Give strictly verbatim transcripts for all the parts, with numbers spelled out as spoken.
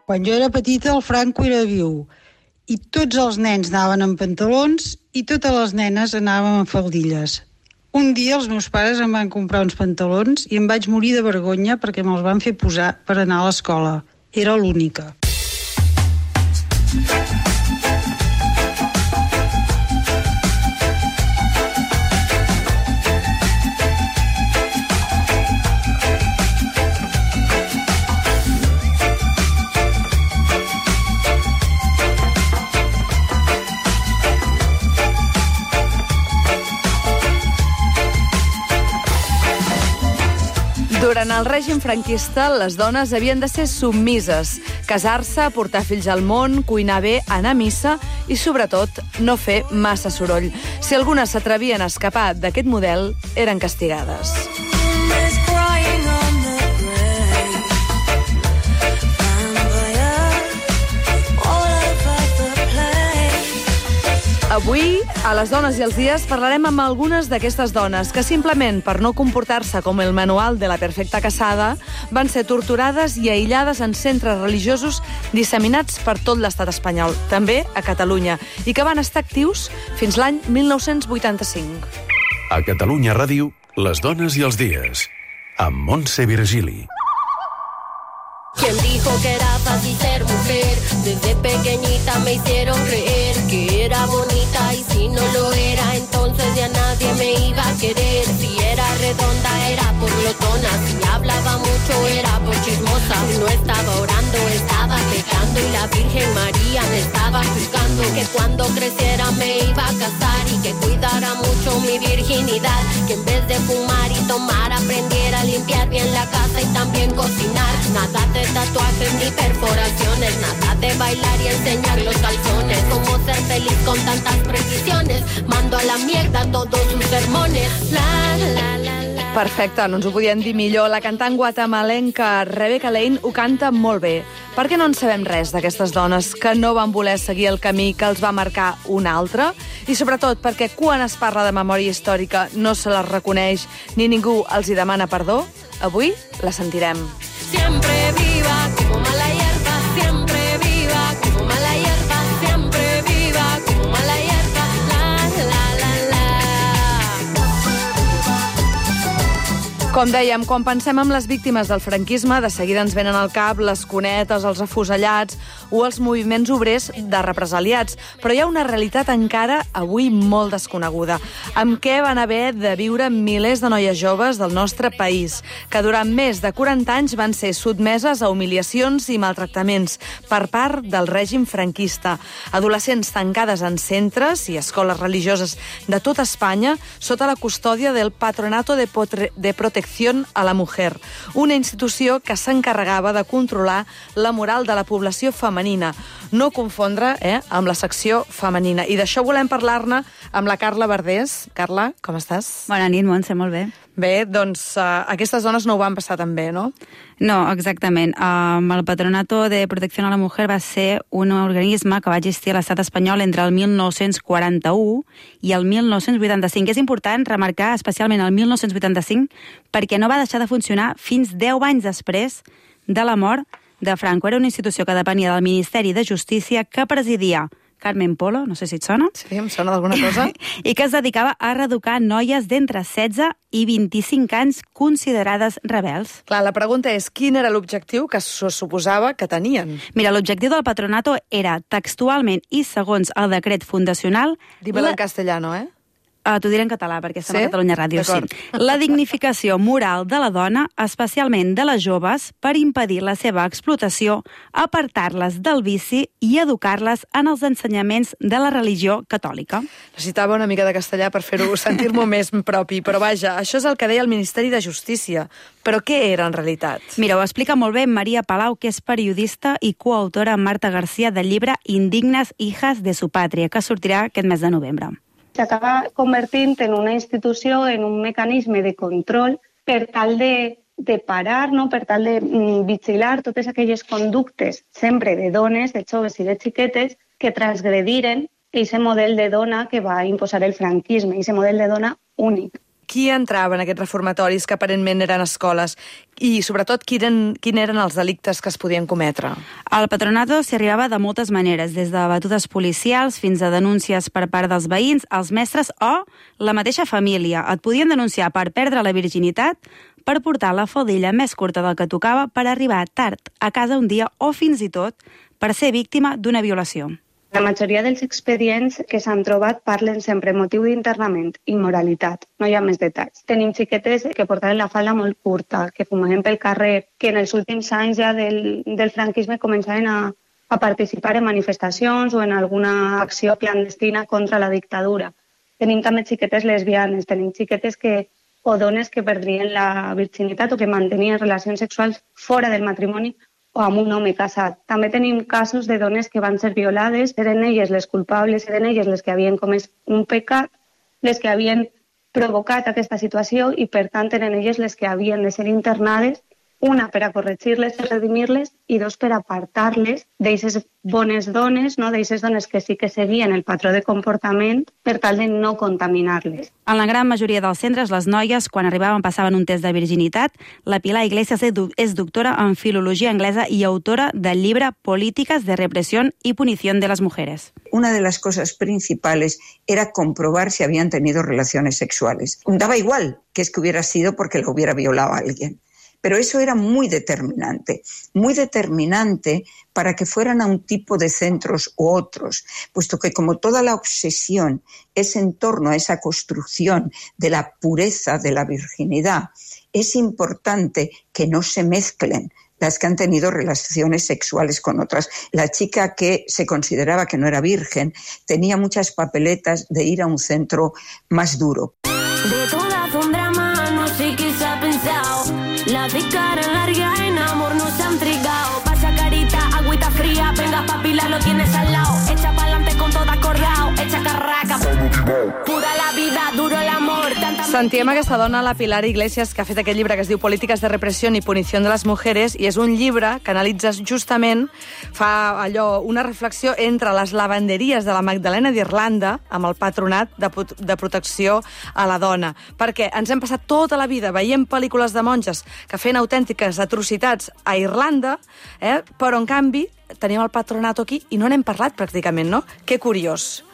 Quan jo era petita, el Franco era viu i tots els nens anaven en pantalons i totes les nenes anaven en faldilles. Un dia els meus pares em van comprar uns pantalons i em vaig morir de vergonya perquè me'ls van fer posar per anar a l'escola. Era l'única. Durant el règim franquista, les dones havien de ser submises, casar-se, portar fills al món, cuinar bé, anar a missa i, sobretot, no fer massa soroll. Si algunes s'atrevien a escapar d'aquest model, eren castigades. Avui, a Les dones i els dies, parlarem amb algunes d'aquestes dones que simplement per no comportar-se com el manual de la perfecta casada van ser torturades i aïllades en centres religiosos disseminats per tot l'estat espanyol, també a Catalunya, i que van estar actius fins l'any mil nou-cents vuitanta-cinc. A Catalunya Ràdio, Les dones i els dies, amb Montse Virgili. ¿Quién dijo que era fácil ser mujer? Desde pequeñita me hicieron creer que era bonita y si no lo era, entonces ya nadie me iba a querer. Si era redonda era por glotona, si hablaba mucho era por chismosa. No estaba orando, estaba pecando y la Virgen María me estaba juzgando. Que cuando creciera me iba a casar y que cuidara mucho mi virginidad. Que en vez de fumar y tomar aprendiera a limpiar bien la casa y también cocinar. Nada de tatuajes ni perforaciones, nada de bailar y enseñar los calzones. Cómo ser feliz con tantas precisiones, mando a la mierda todos sus sermones. La, la, la, la. Perfecte, no ens ho podien dir millor. La cantant guatemalenca Rebecca Lane ho canta molt bé. Per què no en sabem res d'aquestes dones que no van voler seguir el camí que els va marcar un altre? I sobretot perquè quan es parla de memòria històrica no se les reconeix ni ningú els hi demana perdó? Avui la sentirem. Siempre viva como mala hierba, siempre viva como mala hierba, siempre viva como mala hierba, la, la, la, la. Com dèiem, quan pensem en les víctimes del franquisme, de seguida ens venen al cap les cunetes, els afusellats o els moviments obrers de represaliats. Però hi ha una realitat encara avui molt desconeguda. Amb què van haver de viure milers de noies joves del nostre país, que durant més de quaranta anys van ser sotmeses a humiliacions i maltractaments per part del règim franquista. Adolescents tancades en centres i escoles religioses de tota Espanya sota la custòdia del Patronato de, Potre- de Protección a la Mujer, una institució que s'encarregava de controlar la moral de la població femenina. No confondre eh, amb la secció femenina. I d'això volem parlar-ne amb la Carla Verdés. Carla, com estàs? Bona nit, Montse, molt bé. Bé, doncs uh, aquestes dones no ho van passar tan bé, no? No, exactament. Um, el Patronato de Protecció a la Mujer va ser un organisme que va existir a l'estat espanyol entre el mil nou-cents quaranta-u i el mil nou-cents vuitanta-cinc. És important remarcar especialment el mil nou-cents vuitanta-cinc perquè no va deixar de funcionar fins deu anys després de la mort de Franco. Era una institució que depenia del Ministeri de Justícia que presidia Carmen Polo, no sé si et sona. Sí, em sona d'alguna cosa. I que es dedicava a reeducar noies d'entre setze i vint-i-cinc anys considerades rebels. Clar, la pregunta és, quin era l'objectiu que se suposava que tenien? Mira, l'objectiu del Patronato era, textualment i segons el decret fundacional... Dímelo la... en castellano, eh? Uh, T'ho diré en català, perquè estem sí? a Catalunya Ràdio. Sí. La dignificació moral de la dona, especialment de les joves, per impedir la seva explotació, apartar-les del vici i educar-les en els ensenyaments de la religió catòlica. Necessitava una mica de castellà per fer-ho sentir-m'ho més propi, però vaja, això és el que deia el Ministeri de Justícia. Però què era en realitat? Mira, ho explica molt bé Maria Palau, que és periodista i coautora amb Marta García del llibre Indignes hijas de su patria, que sortirà aquest mes de novembre. S'acaba convertint en una institució, en un mecanisme de control per tal de, de parar, no? Per tal de mm, vigilar totes aquelles conductes, sempre de dones, de joves i de xiquetes, que transgrediren aquest model de dona que va imposar el franquisme, aquest model de dona únic. qui entrava en aquests reformatoris que aparentment eren escoles i, sobretot, quin eren, quin eren els delictes que es podien cometre? Al patronato s'hi arribava de moltes maneres, des de batudes policials fins a denúncies per part dels veïns, els mestres o la mateixa família. Et podien denunciar per perdre la virginitat, per portar la faldilla més curta del que tocava, per arribar tard a casa un dia o fins i tot per ser víctima d'una violació. La majoria dels expedients que s'han trobat parlen sempre motiu d'internament, immoralitat, no hi ha més detalls. Tenim xiquetes que portaven la falda molt curta, que fumaven pel carrer, que en els últims anys ja del, del franquisme començaven a, a participar en manifestacions o en alguna acció clandestina contra la dictadura. Tenim també xiquetes lesbianes, tenim xiquetes que, o dones que perdrien la virginitat o que mantenien relacions sexuals fora del matrimoni o amb un home casat. També tenim casos de dones que van ser violades, eren elles les culpables, eren elles les que havien comès un pecat, les que havien provocat aquesta situació i, per tant, eren elles les que havien de ser internades, una per a corregir-les, per redimir-les, i dos per apartar-les d'eixes bones dones, no? D'eixes dones que sí que seguien el patró de comportament per tal de no contaminar-les. En la gran majoria dels centres, les noies, quan arribaven, passaven un test de virginitat. La Pilar Iglesias és doctora en filologia anglesa i autora del llibre Políticas de represión y punición de las mujeres. Una de las cosas principales era comprobar si habían tenido relaciones sexuales. Daba igual que es que hubiera sido porque la hubiera violado a alguien. Pero eso era muy determinante, muy determinante para que fueran a un tipo de centros u otros, puesto que como toda la obsesión es en torno a esa construcción de la pureza de la virginidad, es importante que no se mezclen las que han tenido relaciones sexuales con otras. La chica que se consideraba que no era virgen tenía muchas papeletas de ir a un centro más duro. De todas un drama, no sé qué se ha pensado. La de cara larga en amor no se han trigado. Pasa carita, agüita fría, venga papila, lo tienes al lado. Echa pa'lante con todo acordado, echa carraca. Pura la vida, duro el amor. Sentíem aquesta dona, la Pilar Iglesias, que ha fet aquest llibre que es diu Políticas de represión y punición de las mujeres, i és un llibre que analitza justament, fa allò, una reflexió entre les lavanderies de la Magdalena d'Irlanda amb el patronat de, de protecció a la dona. Perquè ens hem passat tota la vida veient pel·lícules de monges que feien autèntiques atrocitats a Irlanda, eh? Però en canvi tenim el patronato aquí i no n'hem parlat pràcticament, no? Que curiós.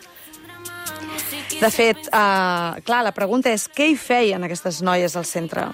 De fet, uh, clar, la pregunta és què hi feien aquestes noies al centre?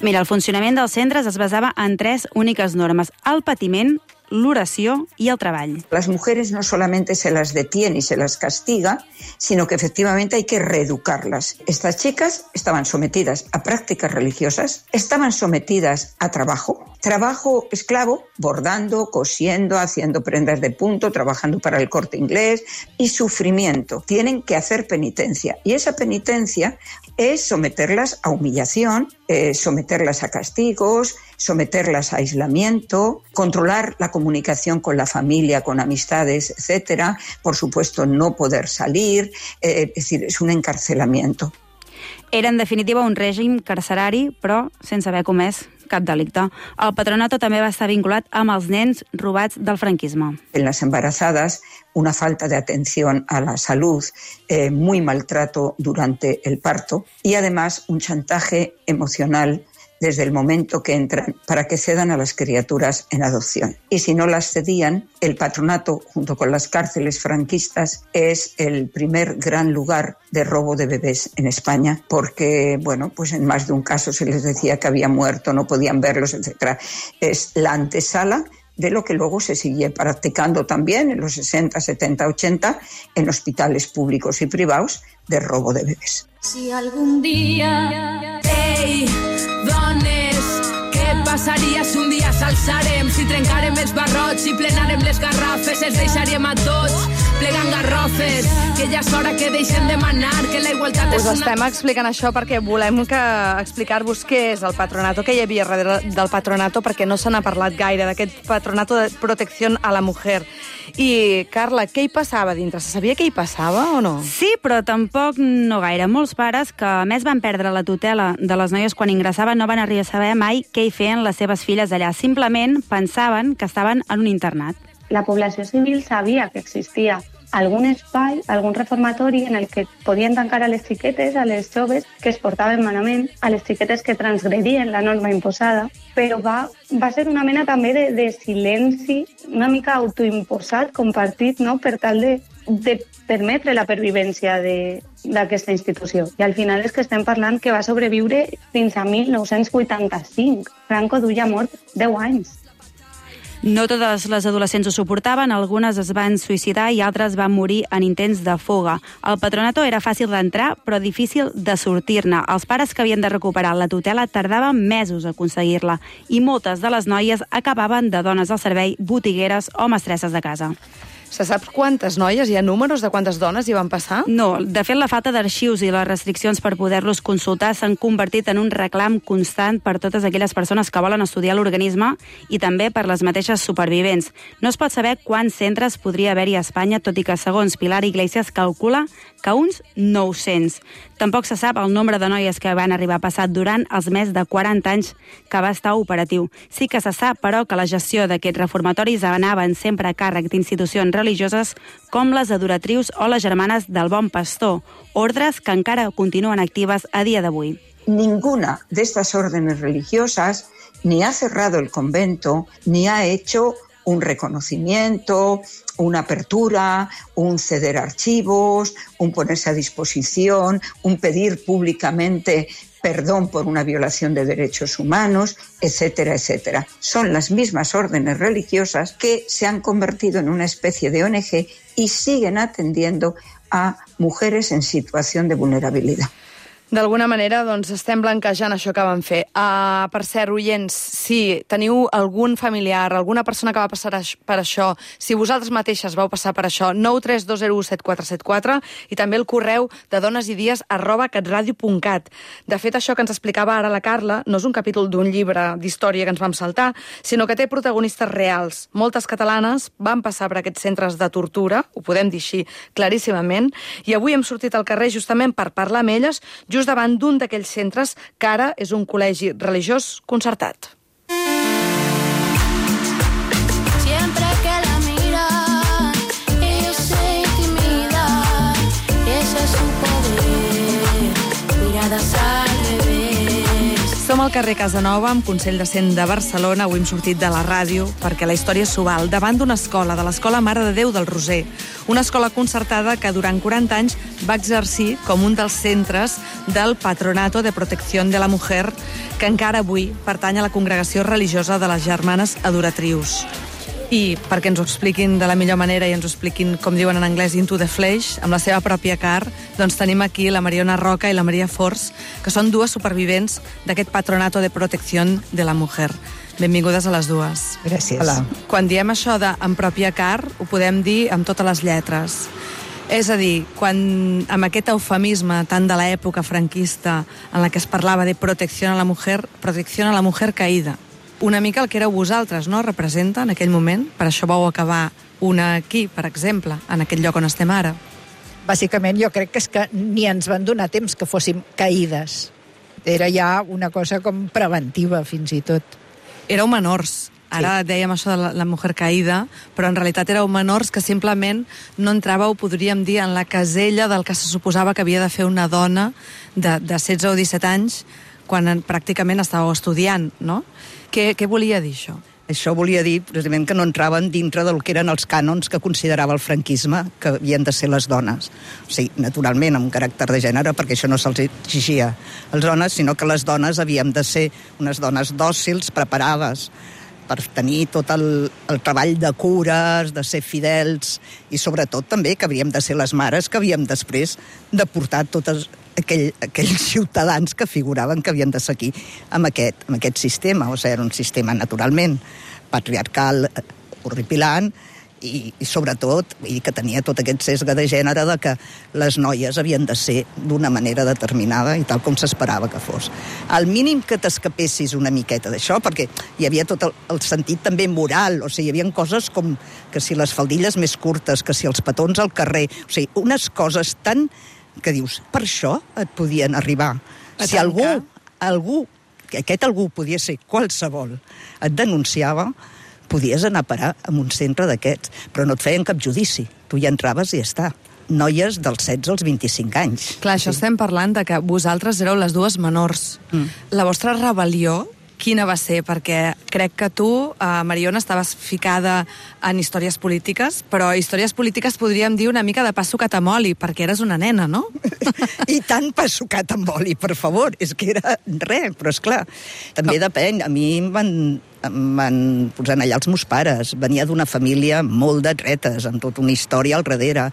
Mira, el funcionament dels centres es basava en tres úniques normes: el patiment, l'oració y el treball. Las mujeres no solamente se las detiene y se las castiga, sino que efectivamente hay que reeducarlas. Estas chicas estaban sometidas a prácticas religiosas, estaban sometidas a trabajo, trabajo esclavo, bordando, cosiendo, haciendo prendas de punto, trabajando para el Corte Inglés, y sufrimiento. Tienen que hacer penitencia, y esa penitencia es someterlas a humillación, eh, someterlas a castigos, someterlas a aislamiento, controlar la comunicación con la familia, con amistades, etcétera. Por supuesto, no poder salir, eh, es decir, es un encarcelamiento. Era, en definitiva, un règim carcerari, però sense haver comès cap delicte. El patronato també va estar vinculat amb els nens robats del franquisme. En las embarazadas, una falta de atención a la salud, eh, muy maltrato durante el parto y además un chantaje emocional desde el momento que entran para que cedan a las criaturas en adopción. Y si no las cedían, el patronato, junto con las cárceles franquistas, es el primer gran lugar de robo de bebés en España, porque, bueno, pues en más de un caso se les decía que había muerto, no podían verlos, etcétera. Es la antesala de lo que luego se sigue practicando también en los sesenta, setenta, ochenta en hospitales públicos y privados de robo de bebés. Si algún día, hey, dones, què passaria si un dia s'alçarem, si trencarem els barrots, si plenarem les garrafes, els deixaríem a tots plegant garrofes, que ja és hora que deixem de manar, que la igualtat és Us una... estem explicant això perquè volem que explicar-vos què és el patronato, què hi havia darrere del patronato, perquè no se n'ha parlat gaire, d'aquest patronato de protecció a la mujer. I, Carla, què hi passava dintre? Se sabia què hi passava o no? Sí, però tampoc no gaire. Molts pares que, a més, van perdre la tutela de les noies quan ingressaven no van arribar a saber mai què hi feien les seves filles allà. Simplement pensaven que estaven en un internat. La població civil sabia que existia algun espai, algun reformatori en el que podien tancar a les xiquetes, a les joves que es portaven malament, a les xiquetes que transgredien la norma imposada, però va, va ser una mena també de, de silenci, una mica autoimposat, compartit, no?, per tal de, de permetre la pervivència d'aquesta institució. I al final és que estem parlant que va sobreviure fins a mil nou-cents vuitanta-cinc. Franco duia mort deu anys. No totes les adolescents ho suportaven, algunes es van suïcidar i altres van morir en intents de fuga. El patronato era fàcil d'entrar, però difícil de sortir-ne. Els pares que havien de recuperar la tutela tardaven mesos a aconseguir-la i moltes de les noies acabaven de dones al servei, botigueres o mestresses de casa. Se sap quantes noies? Hi ha números de quantes dones hi van passar? No, de fet la falta d'arxius i les restriccions per poder-los consultar s'han convertit en un reclam constant per totes aquelles persones que volen estudiar l'organisme i també per les mateixes supervivents. No es pot saber quants centres podria haver-hi a Espanya, tot i que segons Pilar Iglesias calcula que uns nou-cents. Tampoc se sap el nombre de noies que van arribar a passar durant els més de quaranta anys que va estar operatiu. Sí que se sap, però, que la gestió d'aquests reformatoris anaven sempre a càrrec d'institucions religioses com les adoratrius o les germanes del Bon Pastor, ordres que encara continuen actives a dia d'avui. Ninguna de estas órdenes religiosas ni ha cerrado el convento, ni ha hecho un reconocimiento, una apertura, un ceder archivos, un ponerse a disposición, un pedir públicamente perdón por una violación de derechos humanos, etcétera, etcétera. Son las mismas órdenes religiosas que se han convertido en una especie de O N G y siguen atendiendo a mujeres en situación de vulnerabilidad. D'alguna manera, doncs, estem blanquejant això que van fer. Uh, per cert, oients, si teniu algun familiar, alguna persona que va passar per això, si vosaltres mateixes vau passar per això, nou tres dos zero u set quatre set quatre i també el correu de donesidies arroba catradio punt cat. De fet, això que ens explicava ara la Carla no és un capítol d'un llibre d'història que ens vam saltar, sinó que té protagonistes reals. Moltes catalanes van passar per aquests centres de tortura, ho podem dir així claríssimament, i avui hem sortit al carrer justament per parlar amb elles, just davant d'un d'aquells centres que ara és un col·legi religiós concertat. Siempre que la mira, ella se intimida, ese es su poder, miradas al revés. Som al carrer Casanova, amb Consell de Cent de Barcelona. Avui hem sortit de la ràdio perquè la història s'ho val, davant d'una escola, de l'Escola Mare de Déu del Roser. Una escola concertada que durant quaranta anys va exercir com un dels centres del Patronato de Protección de la Mujer, que encara avui pertany a la congregació religiosa de les Germanes Adoratrius. I perquè ens ho expliquin de la millor manera i ens ho expliquin, com diuen en anglès, into the flesh, amb la seva pròpia car, doncs tenim aquí la Mariona Roca i la Maria Forç, que són dues supervivents d'aquest Patronato de Protección de la Mujer. Benvingudes a les dues. Gràcies. Hola. Quan diem això de en pròpia car, ho podem dir amb totes les lletres. És a dir, quan amb aquest eufemisme tant de l'època franquista en la que es parlava de protecció a la mujer, protecció a la mujer caïda, una mica el que éreu vosaltres, no?, representa en aquell moment. Per això vau acabar una aquí, per exemple, en aquest lloc on estem ara. Bàsicament, jo crec que és que ni ens van donar temps que fóssim caïdes. Era ja una cosa com preventiva, fins i tot. Éreu menors. Ara sí. Dèiem això de la, la mujer caïda, però en realitat éreu menors que simplement no entràveu, podríem dir, en la casella del que se suposava que havia de fer una dona de, de setze o disset anys quan pràcticament estàveu estudiant, no? Què, què volia dir això? Això volia dir, precisament, que no entraven dintre del que eren els cànons que considerava el franquisme que havien de ser les dones. O sigui, naturalment, amb un caràcter de gènere, perquè això no se'ls exigia als dones, sinó que les dones havíem de ser unes dones dòcils, preparades per tenir tot el, el treball de cures, de ser fidels, i sobretot també que havíem de ser les mares que havíem després de portar totes aquell, aquells ciutadans que figuraven que havien de seguir amb aquest, amb aquest sistema. O sigui, era un sistema naturalment patriarcal, horripilant, i, i sobretot i que tenia tot aquest sesga de gènere de que les noies havien de ser d'una manera determinada i tal com s'esperava que fos. Al mínim que t'escapessis una miqueta d'això, perquè hi havia tot el, el sentit també moral, o sigui, hi havia coses com que si les faldilles més curtes, que si els petons al carrer, o sigui, unes coses tan que dius, per això et podien arribar. A si algú, algú, que aquest algú podia ser qualsevol, et denunciava, podies anar a parar a un centre d'aquests, però no et feien cap judici. Tu hi entraves i ja està. Noies dels setze als vint-i-cinc anys. Clar, això estem parlant de que vosaltres éreu les dues menors. Mm. La vostra rebel·lió, quina va ser? Perquè crec que tu, eh, Mariona, estaves ficada en històries polítiques, però històries polítiques podríem dir una mica de pa sucat amb oli, perquè eres una nena, no? I tant pa sucat amb oli, per favor. És que era res, però és clar. També Com? depèn. A mi em van, em van posar allà els meus pares. Venia d'una família molt de dretes, amb tota una història al darrere.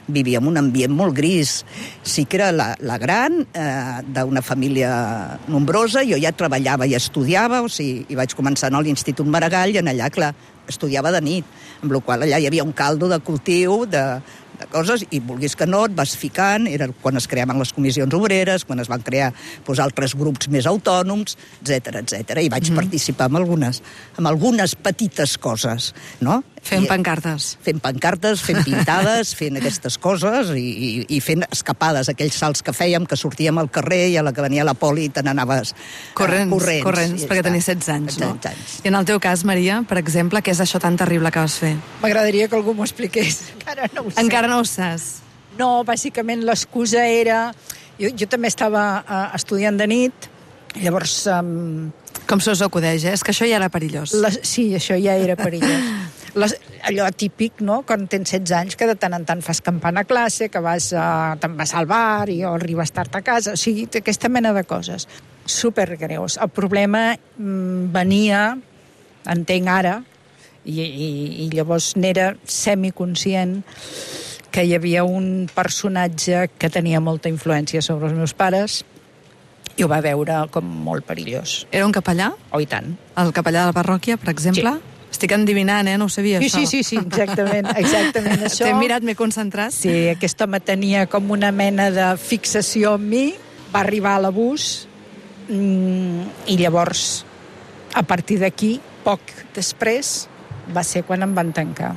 Vivia en un ambient molt gris. Sí que era la, la gran, eh, d'una família nombrosa, jo ja treballava i estudiava, o sigui, i vaig començar a l'Institut Maragall, i en allà, clar, estudiava de nit, amb la qual allà hi havia un caldo de cultiu, de, de coses, i vulguis que no, et vas ficant, era quan es creaven les comissions obreres, quan es van crear doncs, altres grups més autònoms, etcètera, etcètera, i vaig mm-hmm. participar en algunes, en algunes petites coses, no? Fent I, pancartes. Fent pancartes, fent pintades, fent aquestes coses i, i, i fent escapades, aquells salts que fèiem, que sortíem al carrer i a la que venia la poli te n'anaves corrents, uh, corrents. Corrents, perquè tenies setze anys, no? setze anys. I en el teu cas, Maria, per exemple, què és això tan terrible que vas fer? M'agradaria que algú m'ho expliqués. Encara no ho sé. Encara no ho saps? No, bàsicament l'excusa era... Jo, jo també estava uh, estudiant de nit, llavors... Um... Com se us acudeix, eh? És que això ja era perillós. La... Sí, això ja era perillós. Les, allò típic, no?, quan tens setze anys, que de tant en tant fas campana a classe, que vas a, te'n vas al bar i o arribes tard a casa, o sigui, aquesta mena de coses. Supergreus. El problema mm, venia, entenc ara, i, i, i llavors n'era semiconscient, que hi havia un personatge que tenia molta influència sobre els meus pares i ho va veure com molt perillós. Era un capellà? Oh, i tant. El capellà de la parròquia, per exemple? Sí. Estic endivinant, eh? No ho sabia, sí, això. Sí, sí, sí, exactament, exactament això. T'he mirat, m'he concentrat. Sí, aquest home tenia com una mena de fixació en mi, va arribar a l'abús, mmm, i llavors, a partir d'aquí, poc després, va ser quan em van tancar.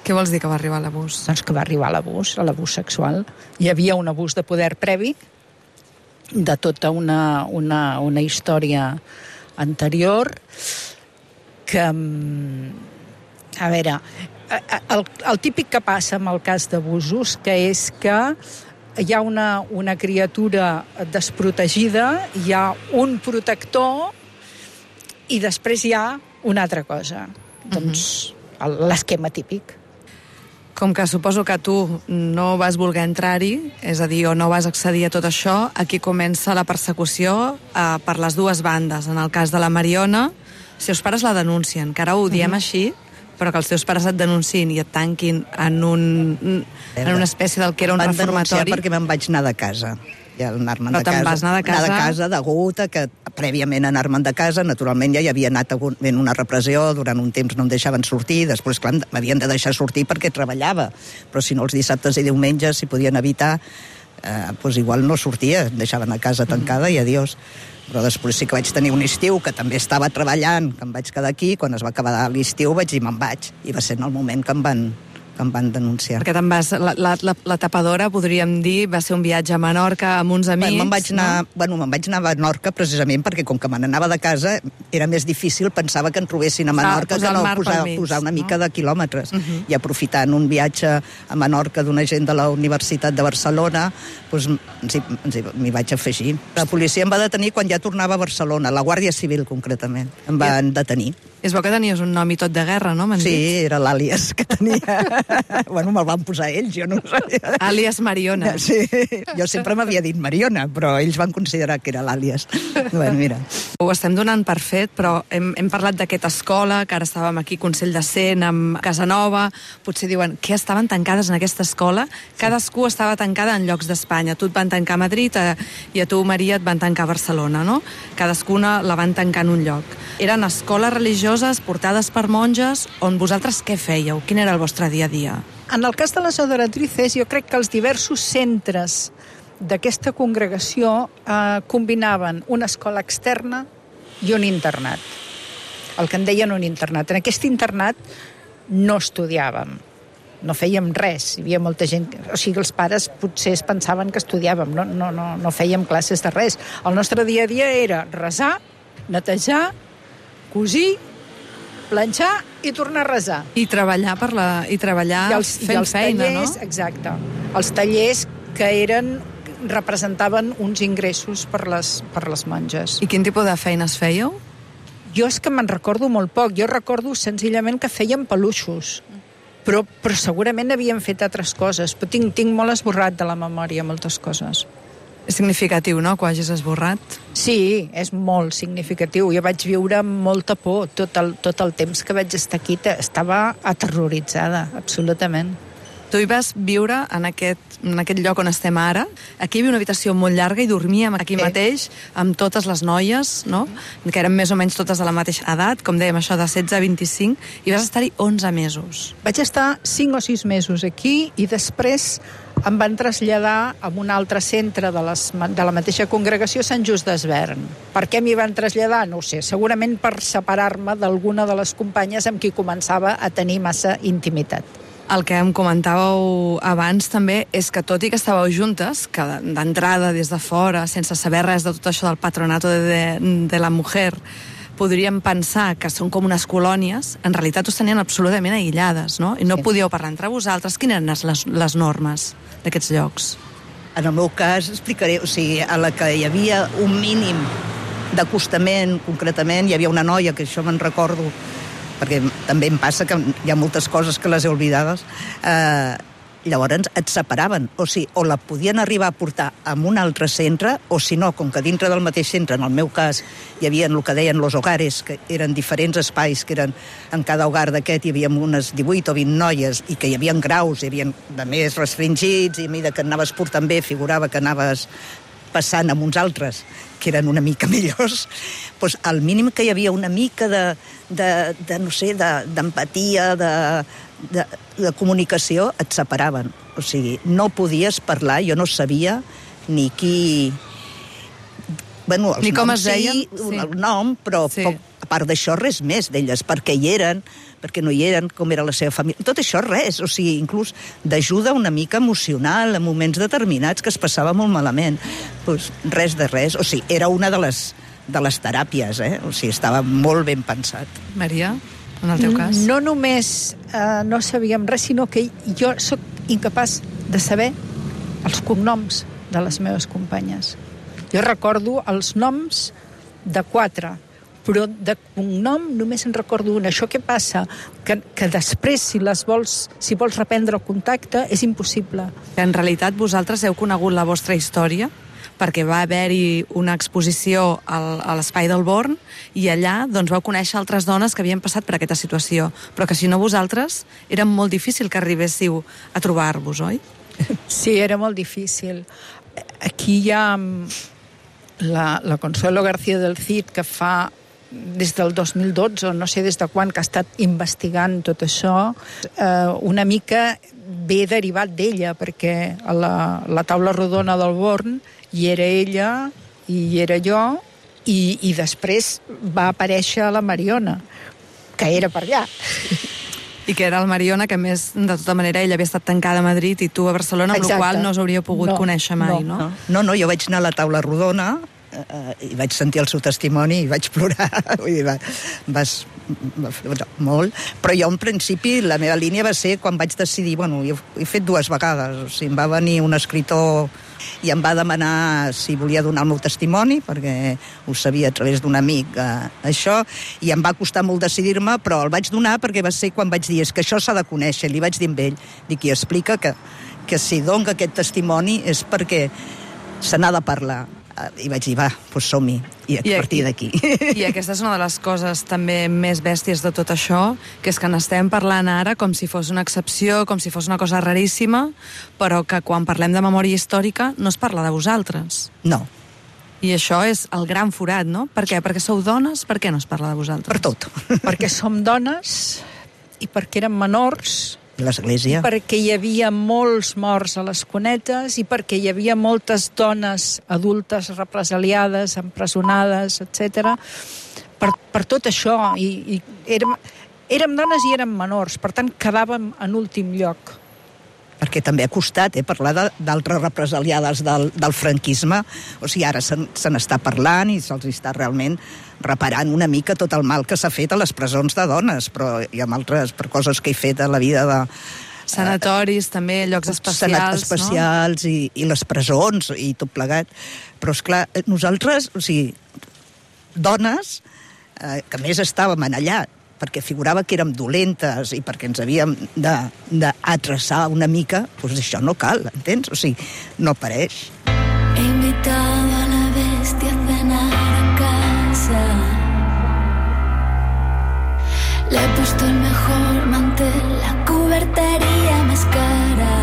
Què vols dir que va arribar a l'abús? Doncs que va arribar a l'abús, a l'abús sexual. Hi havia un abús de poder previ, de tota una, una, una història anterior, que, a veure, el, el típic que passa amb el cas d'abusos, que és que hi ha una, una criatura desprotegida, hi ha un protector i després hi ha una altra cosa. Uh-huh. Doncs l'esquema típic. Com que suposo que tu no vas voler entrar-hi, és a dir, o no vas accedir a tot això, aquí comença la persecució eh, per les dues bandes. En el cas de la Mariona, els seus pares la denuncien, que ara ho diem uh-huh. així, però que els teus pares et denunciïn i et tanquin en, un, en una espècie del que era un van reformatori. Van denunciar perquè me'n vaig anar de casa. I anar-me'n però de casa. Vas anar de casa? Anar de casa, degut a que prèviament anar-me'n de casa, naturalment ja hi havia anat ben una repressió, durant un temps no em deixaven sortir, després, clar, m'havien de deixar sortir perquè treballava, però si no els dissabtes i diumenges, si podien evitar, eh, doncs igual no sortia, em deixaven a casa tancada mm. i adiós. Però després sí que vaig tenir un estiu que també estava treballant, que em vaig quedar aquí, quan es va acabar l'estiu vaig dir me'n vaig, i va ser en el moment que em van, que em van denunciar. Perquè te'n vas, la, la, la, la tapadora, podríem dir, va ser un viatge a Menorca amb uns amics. Bueno, me'n vaig anar, no? bueno, me'n vaig anar a Menorca precisament perquè com que me n'anava de casa era més difícil, pensava que en trobessin a Menorca ah, que no posar, mig, posar una mica no? de quilòmetres. Uh -huh. I aprofitant un viatge a Menorca d'una gent de la Universitat de Barcelona, doncs m'hi vaig afegir. La policia em va detenir quan ja tornava a Barcelona, la Guàrdia Civil concretament, em van detenir. És bo que tenies un nom i tot de guerra, no? Sí, dit? Era l'àlies que tenia. Bueno, me'l van posar ells, jo no ho sabia. Àlies Mariona. Sí, jo sempre m'havia dit Mariona, però ells van considerar que era l'àlies. Bueno, mira. Ho estem donant per fet, però hem, hem parlat d'aquesta escola, que ara estàvem aquí, Consell de Cent, amb Casanova, potser diuen, què estaven tancades en aquesta escola? Cadascú sí. estava tancada en llocs d'Espanya. Tu et van tancar a Madrid a, i a tu, Maria, et van tancar a Barcelona, no? Cadascuna la van tancar en un lloc. Eren escoles religioses portades per monges, on vosaltres què fèieu? Quin era el vostre dia a dia? En el cas de les adoratrices, jo crec que els diversos centres d'aquesta congregació eh, combinaven una escola externa i un internat. El que en deien un internat. En aquest internat no estudiàvem, no fèiem res. Hi havia molta gent... O sigui, els pares potser es pensaven que estudiàvem, no, no, no, no fèiem classes de res. El nostre dia a dia era resar, netejar, cosir planxar i tornar a resar. I treballar per la... I treballar I els, fent i els feina, tallers, no? Exacte. Els tallers que eren representaven uns ingressos per les, per les monges. I quin tipus de feines fèieu? Jo és que me'n recordo molt poc. Jo recordo senzillament que fèiem peluixos. Però, però segurament havien fet altres coses. Però tinc, tinc molt esborrat de la memòria moltes coses. És significatiu, no?, que ho hagis esborrat. Sí, és molt significatiu. Jo vaig viure amb molta por. Tot el, tot el temps que vaig estar aquí estava aterroritzada, absolutament. Tu hi vas viure en aquest, en aquest lloc on estem ara. Aquí hi havia una habitació molt llarga i dormíem aquí sí. mateix amb totes les noies, no?, que eren més o menys totes de la mateixa edat, com dèiem, això de setze a vint-i-cinc, i vas estar-hi onze mesos. Vaig estar cinc o sis mesos aquí i després em van traslladar a un altre centre de, les, de la mateixa congregació, Sant Just d'Esvern. Per què m'hi van traslladar? No ho sé. Segurament per separar-me d'alguna de les companyes amb qui començava a tenir massa intimitat. El que em comentàveu abans també és que tot i que estàveu juntes, que d'entrada des de fora, sense saber res de tot això del patronato de, de, de la mujer, podríem pensar que són com unes colònies, en realitat us tenien absolutament aïllades, no? I no sí. podíeu parlar entre vosaltres. Quines eren les, les normes d'aquests llocs? En el meu cas, explicaré, o sigui, a la que hi havia un mínim d'acostament, concretament, hi havia una noia, que això me'n recordo, perquè també em passa que hi ha moltes coses que les he oblidades, eh, llavors et separaven, o sigui, o la podien arribar a portar a un altre centre, o si no, com que dintre del mateix centre, en el meu cas, hi havia el que deien los hogares, que eren diferents espais, que eren, en cada hogar d'aquest hi havia unes divuit o vint noies, i que hi havia graus, hi havia de més restringits, i a mesura que anaves portant bé, figurava que anaves passant amb uns altres que eren una mica millors, doncs al mínim que hi havia una mica de, de, de no sé, d'empatia, de, de, de comunicació, et separaven. O sigui, no podies parlar, jo no sabia ni qui... Bueno, els ni com noms es deien? sí, sí. El nom, però sí. poc, a part d'això res més d'elles, perquè hi eren, perquè no hi eren, com era la seva família. Tot això res, o sigui, inclús d'ajuda una mica emocional en moments determinats que es passava molt malament. Pues res de res, o sigui, era una de les, de les teràpies, eh? O sigui, estava molt ben pensat. Maria, en el teu cas? No només eh, no sabíem res, sinó que jo sóc incapaç de saber els cognoms de les meves companyes. Jo recordo els noms de quatre, però de cognom només en recordo una. Això què passa? Que, que després, si les vols, si vols reprendre el contacte, és impossible. En realitat, vosaltres heu conegut la vostra història perquè va haver-hi una exposició al, a l'Espai del Born i allà doncs, vau conèixer altres dones que havien passat per aquesta situació. Però que si no vosaltres, era molt difícil que arribéssiu a trobar-vos, oi? Sí, era molt difícil. Aquí hi ha la, la Consuelo García del Cid, que fa des del dos mil dotze, no sé des de quan, que ha estat investigant tot això, eh, una mica ve derivat d'ella, perquè a la, la taula rodona del Born hi era ella i hi era jo, i, i després va aparèixer la Mariona, que era per allà. I que era el Mariona, que més, de tota manera, ella havia estat tancada a Madrid i tu a Barcelona, amb la qual no us hauríeu pogut no, conèixer mai, no? No, no, no, jo vaig anar a la taula rodona, Uh, i vaig sentir el seu testimoni i vaig plorar. Vull dir, va, vas, va, molt. Però jo, en principi, la meva línia va ser quan vaig decidir... Bueno, jo he fet dues vegades. O sigui, em va venir un escriptor i em va demanar si volia donar el meu testimoni, perquè ho sabia a través d'un amic, uh, això, i em va costar molt decidir-me, però el vaig donar perquè va ser quan vaig dir és que això s'ha de conèixer. Li vaig dir amb ell, dic, i explica que, que si dono aquest testimoni és perquè se n'ha de parlar. I vaig dir, va, doncs som-hi, i a I partir d'aquí. I aquesta és una de les coses també més bèsties de tot això, que és que n'estem parlant ara com si fos una excepció, com si fos una cosa raríssima, però que quan parlem de memòria històrica no es parla de vosaltres. No. I això és el gran forat, no? Per què? Perquè sou dones? Per què no es parla de vosaltres? Per tot. Perquè som dones i perquè érem menors, l'església. Perquè hi havia molts morts a les cunetes i perquè hi havia moltes dones adultes represaliades, empresonades, etcètera. Per, per tot això, i, i érem, érem dones i érem menors, per tant quedàvem en últim lloc. perquè també ha costat eh, parlar d'altres represaliades del, del franquisme. O sigui, ara se, se n'està parlant i se'ls està realment reparant una mica tot el mal que s'ha fet a les presons de dones, però hi ha altres per coses que he fet a la vida de... Sanatoris, eh, també, llocs especials, especials no? i, i les presons i tot plegat. Però, esclar, nosaltres, o sigui, dones, eh, que més estàvem allà, perquè figurava que érem dolentes i perquè ens havíem d'atreçar una mica, doncs això no cal, entens? O sigui, no apareix. He invitado a la bestia a cenar a casa. Le he puesto el mejor mantel, la cubertería más cara.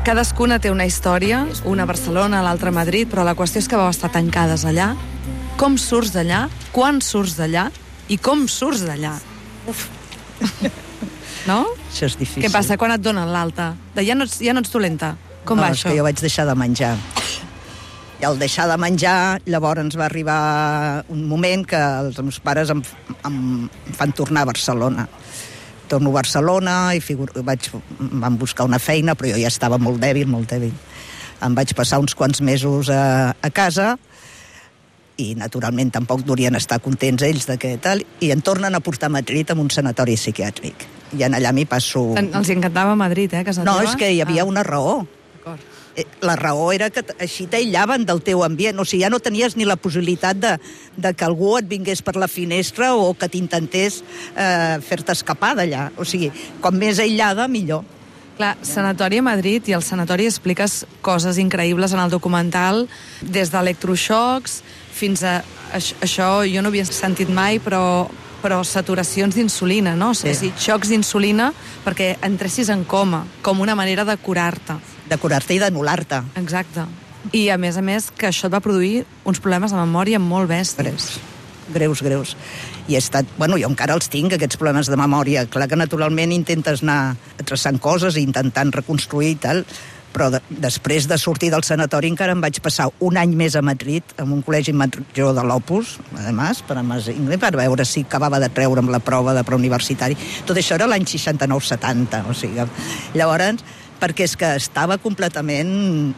Cadascuna té una història, una a Barcelona, l'altra a Madrid, però la qüestió és que vau estar tancades allà. Com surts d'allà? Quan surts d'allà? I com surts d'allà? Uf. No? Això és difícil. Què passa? Quan et donen l'alta? Ja, no ets, ja no ets dolenta? Com no, va això? No, és això? que jo vaig deixar de menjar. I al deixar de menjar, llavors ens va arribar un moment que els meus pares em, em fan tornar a Barcelona. Torno a Barcelona i figur, vaig, em van buscar una feina, però jo ja estava molt dèbil, molt dèbil. Em vaig passar uns quants mesos a, a casa i naturalment tampoc durien estar contents ells de què tal, i em tornen a portar a Madrid amb un sanatori psiquiàtric. I en allà m'hi passo... En, els encantava Madrid, eh, casa no, teva? És que hi havia ah. una raó. D'acord. La raó era que així t'aïllaven del teu ambient, o sigui, ja no tenies ni la possibilitat de, de que algú et vingués per la finestra o que t'intentés eh, fer-te escapar d'allà. O sigui, com més aïllada, millor. Clar, Sanatori a Madrid, i al sanatori expliques coses increïbles en el documental, des d'electroxocs fins a... Això jo no havia sentit mai, però, però saturacions d'insulina, no? Sí. És a dir, xocs d'insulina perquè entressis en coma, com una manera de curar-te. De curar-te i d'anul·lar-te. Exacte. I, a més a més, que això et va produir uns problemes de memòria molt bèsties. Greus, greus, greus. I he estat... Bueno, jo encara els tinc, aquests problemes de memòria. Clar que naturalment intentes anar traçant coses i intentant reconstruir i tal, però de, després de sortir del sanatori encara em vaig passar un any més a Madrid, en un col·legi major de l'Opus, además, per, per veure si acabava de treure'm la prova de preuniversitari. Tot això era l'any seixanta-nou setanta, o sigui, llavors, perquè és que estava completament...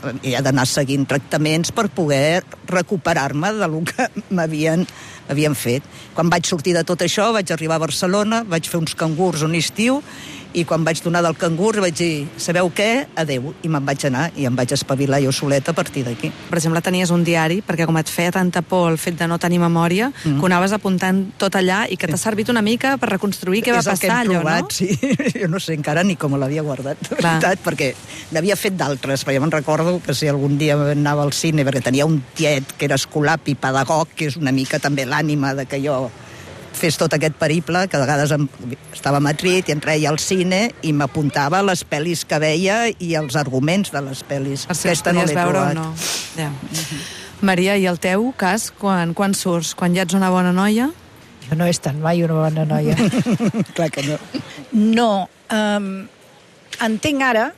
He d'anar seguint tractaments per poder recuperar-me de lo que m'havien havien fet. Quan vaig sortir de tot això, vaig arribar a Barcelona, vaig fer uns cangurs un estiu, i quan vaig donar del cangur vaig dir, sabeu què? Adeu. I me'n vaig anar i em vaig espavilar jo soleta a partir d'aquí. Per exemple, tenies un diari, perquè com et feia tanta por el fet de no tenir memòria, mm. que ho anaves apuntant tot allà i que t'ha servit una mica per reconstruir què va passar, allò, provat, no? Sí. Jo no sé encara ni com l'havia guardat, de veritat, perquè n'havia fet d'altres, però ja me'n recordo que si algun dia anava al cine, perquè tenia un tiet que era escolapi, pedagog, que és una mica també l'ànima de que jo fes tot aquest periple, que a vegades em, estava a Madrid i em treia al cine i m'apuntava les pel·lis que veia i els arguments de les pel·lis. Per si Aquesta no l'he trobat. No. Ja. Uh-huh. Maria, i el teu cas, quan, quan surts? Quan ja ets una bona noia? Jo no he estat mai una bona noia. Clar que no. No. Um, entenc ara,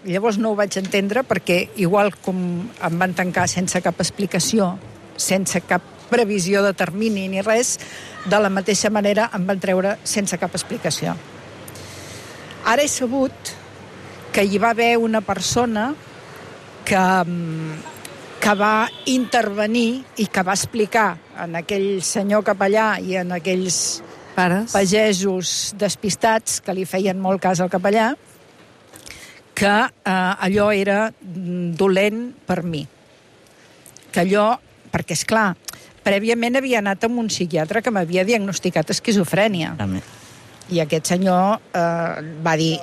llavors no ho vaig entendre, perquè igual com em van tancar sense cap explicació, sense cap previsió de termini ni res, de la mateixa manera em van treure sense cap explicació. Ara he sabut que hi va haver una persona que, que va intervenir i que va explicar en aquell senyor capellà i en aquells pares pagesos despistats que li feien molt cas al capellà, que eh, allò era dolent per mi. Que allò, perquè és clar, prèviament havia anat amb un psiquiatre que m'havia diagnosticat esquizofrènia. Amen. I aquest senyor eh, va dir,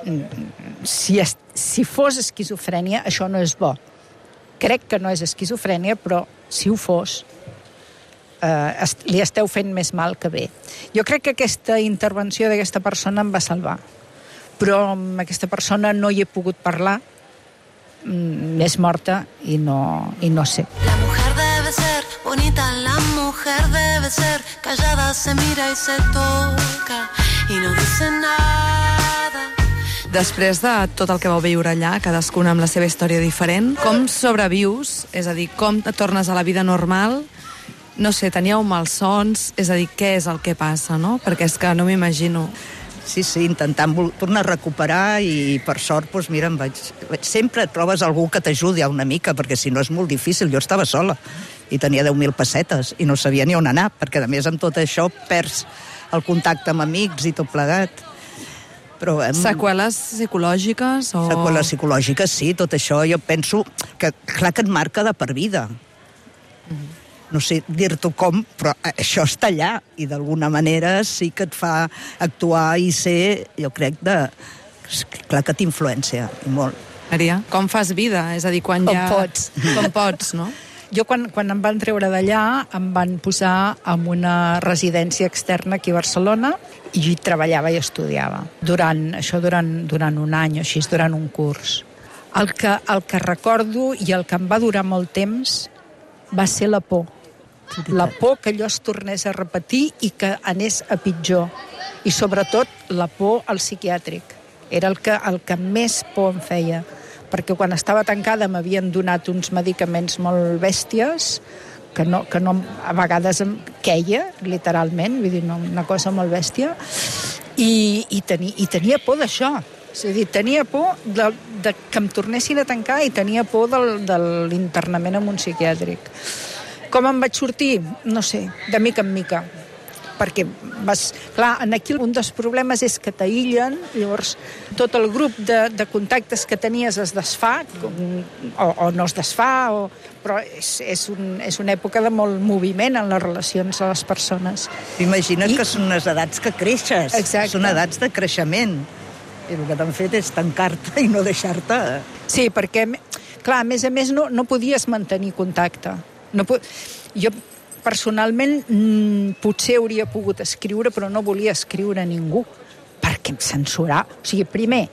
si, es, si fos esquizofrènia, això no és bo. Crec que no és esquizofrènia, però si ho fos, eh, est, li esteu fent més mal que bé. Jo crec que aquesta intervenció d'aquesta persona em va salvar. Però amb aquesta persona no hi he pogut parlar, és morta i no, i no sé. La mujer debe ser bonita, la mujer debe ser callada, se mira y se toca y no dice nada. Després de tot el que vau viure allà, cadascuna amb la seva història diferent, com sobrevius? És a dir, com et tornes a la vida normal? No sé, teníeu malsons? És a dir, què és el que passa, no? Perquè és que no m'imagino. Sí, sí, intentant tornar a recuperar i per sort, doncs mira, em vaig... Sempre trobes algú que t'ajudi una mica, perquè si no és molt difícil. Jo estava sola i tenia deu mil pessetes i no sabia ni on anar, perquè a més amb tot això perds el contacte amb amics i tot plegat. Però, em... Seqüeles psicològiques? O... Seqüeles psicològiques, sí, tot això. Jo penso que, clar que et marca de per vida. Mm. No sé dir-t'ho com, però això està allà i d'alguna manera sí que et fa actuar i ser, jo crec, de... clar que t'influència, i molt. Maria, com fas vida? És a dir, quan com ja... pots. Com pots, no? Jo, quan, quan em van treure d'allà, em van posar en una residència externa aquí a Barcelona i hi treballava i estudiava. Durant, això durant, durant un any o així, durant un curs. El que, el que recordo i el que em va durar molt temps va ser la por. La por que allò es tornés a repetir i que anés a pitjor. I sobretot la por al psiquiàtric. Era el que, el que més por em feia. Perquè quan estava tancada m'havien donat uns medicaments molt bèsties que, no, que no, a vegades em queia, literalment, vull dir, no, una cosa molt bèstia, i, i, teni, i tenia por d'això. És a dir, tenia por de, de que em tornessin a tancar i tenia por del, de l'internament en un psiquiàtric. Com em vaig sortir? No sé, de mica en mica. Perquè, vas, clar, aquí un dels problemes és que t'aïllen, llavors tot el grup de, de contactes que tenies es desfà, com, o, o no es desfà, o, però és, és, un, és una època de molt moviment en les relacions de les persones. Imagina't I... que són unes edats que creixes. Exacte. Són edats de creixement. I el que t'han fet és tancar-te i no deixar-te. Sí, perquè, clar, a més a més no, no podies mantenir contacte. No pu... Jo personalment mmm, potser hauria pogut escriure, però no volia escriure a ningú, perquè em censurava. O sigui, primer,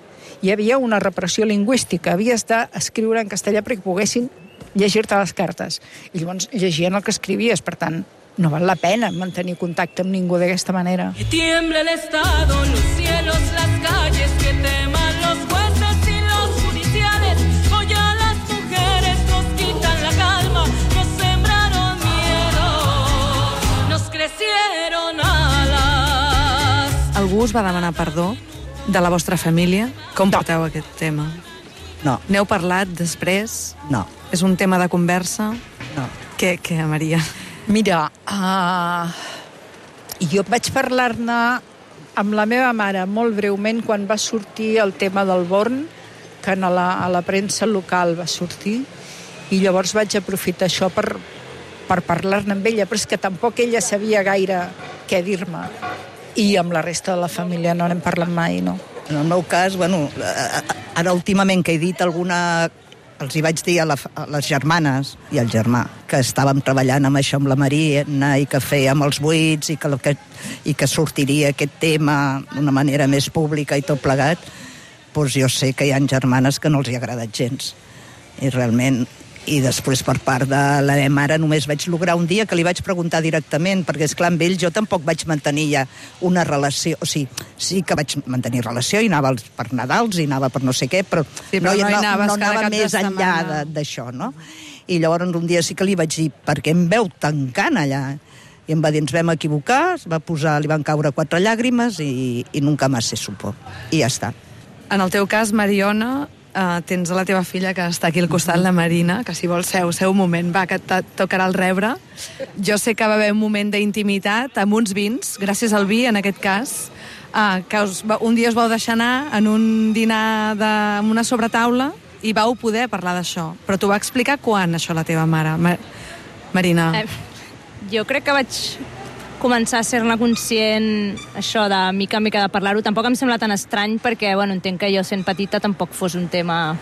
hi havia una repressió lingüística, havies d'escriure en castellà perquè poguessin llegir-te les cartes. I llavors llegien el que escrivies, per tant, no val la pena mantenir contacte amb ningú d'aquesta manera. Que tiemble el Estado, los cielos, las calles, que teman los jueces y los judiciales, hoy a las mujeres nos quitan la calma, nos sembraron miedo, nos crecieron alas. Algú us va demanar perdó de la vostra família? Com No. porteu aquest tema? No. N'heu parlat després? No. És un tema de conversa? No. Què, què, Maria? Mira, uh, jo vaig parlar-ne amb la meva mare molt breument quan va sortir el tema del Born, que a la, a la premsa local va sortir, i llavors vaig aprofitar això per, per parlar-ne amb ella, però és que tampoc ella sabia gaire què dir-me. I amb la resta de la família no n'hem parlat mai, no. En el meu cas, bueno, ara últimament que he dit alguna... Els hi vaig dir a, la, a les germanes i al germà que estàvem treballant amb això amb la Marina i que fèiem els buits i que, que, i que sortiria aquest tema d'una manera més pública i tot plegat, doncs jo sé que hi ha germanes que no els hi ha agradat gens. I realment... I després per part de la meva mare només vaig lograr un dia que li vaig preguntar directament, perquè esclar amb ell jo tampoc vaig mantenir ja una relació, o sigui, sí que vaig mantenir relació i anava per Nadals i anava per no sé què, però, sí, però no, no, no, no anava més enllà d'això, no? I llavors un dia sí que li vaig dir, perquè em veu tancant allà? I em va dir, ens vam equivocar, es va posar, li van caure quatre llàgrimes i, i nunca más se supo. I ja està. En el teu cas, Mariona, Uh, tens a la teva filla que està aquí al costat, la Marina, que si vols seu, seu moment, va, que et tocarà el rebre. Jo sé que va haver un moment d'intimitat amb uns vins, gràcies al vi, en aquest cas, uh, que us, un dia us vau deixar anar en un dinar de, amb una sobretaula i vau poder parlar d'això. Però t'ho va explicar quan, això, la teva mare, Mar Marina? Eh, jo crec que vaig començar a ser-ne conscient, això de mica en mica de parlar-ho. Tampoc em sembla tan estrany perquè, bueno, entenc que jo sent petita tampoc fos un tema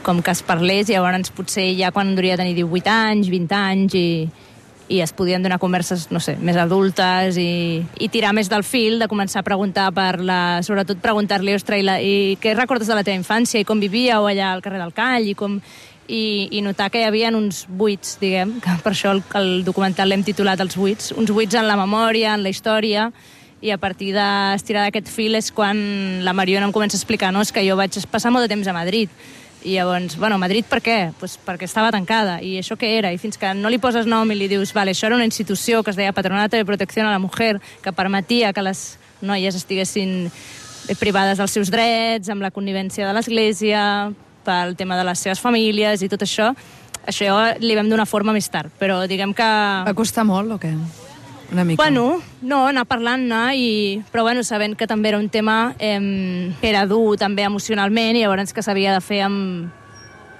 com que es parlés, i llavors potser ja quan hauria de tenir divuit anys, vint anys, i, i es podien donar converses, no sé, més adultes i, i tirar més del fil, de començar a preguntar per la... Sobretot preguntar-li, ostres, i, la, i què recordes de la teva infància, i com vivíeu allà al carrer del Call, i com... I, i notar que hi havia uns buits, diguem, que per això el, el documental l'hem titulat Els buits, uns buits en la memòria, en la història, i a partir d'estirar d'aquest fil és quan la Mariona em comença a explicar, no, és que jo vaig passar molt de temps a Madrid, i llavors, bueno, Madrid per què? Pues perquè estava tancada, i això què era? I fins que no li poses nom i li dius, vale, això era una institució que es deia Patronato de Protecció a la Mujer, que permetia que les noies estiguessin privades dels seus drets, amb la connivència de l'Església, pel tema de les seves famílies i tot això. Això li vam donar forma més tard, però diguem que... Va costar molt o què? Una mica? Bueno, no, anar parlant-ne, i... però bueno, sabent que també era un tema eh, que era dur també emocionalment, i llavors que s'havia de fer amb,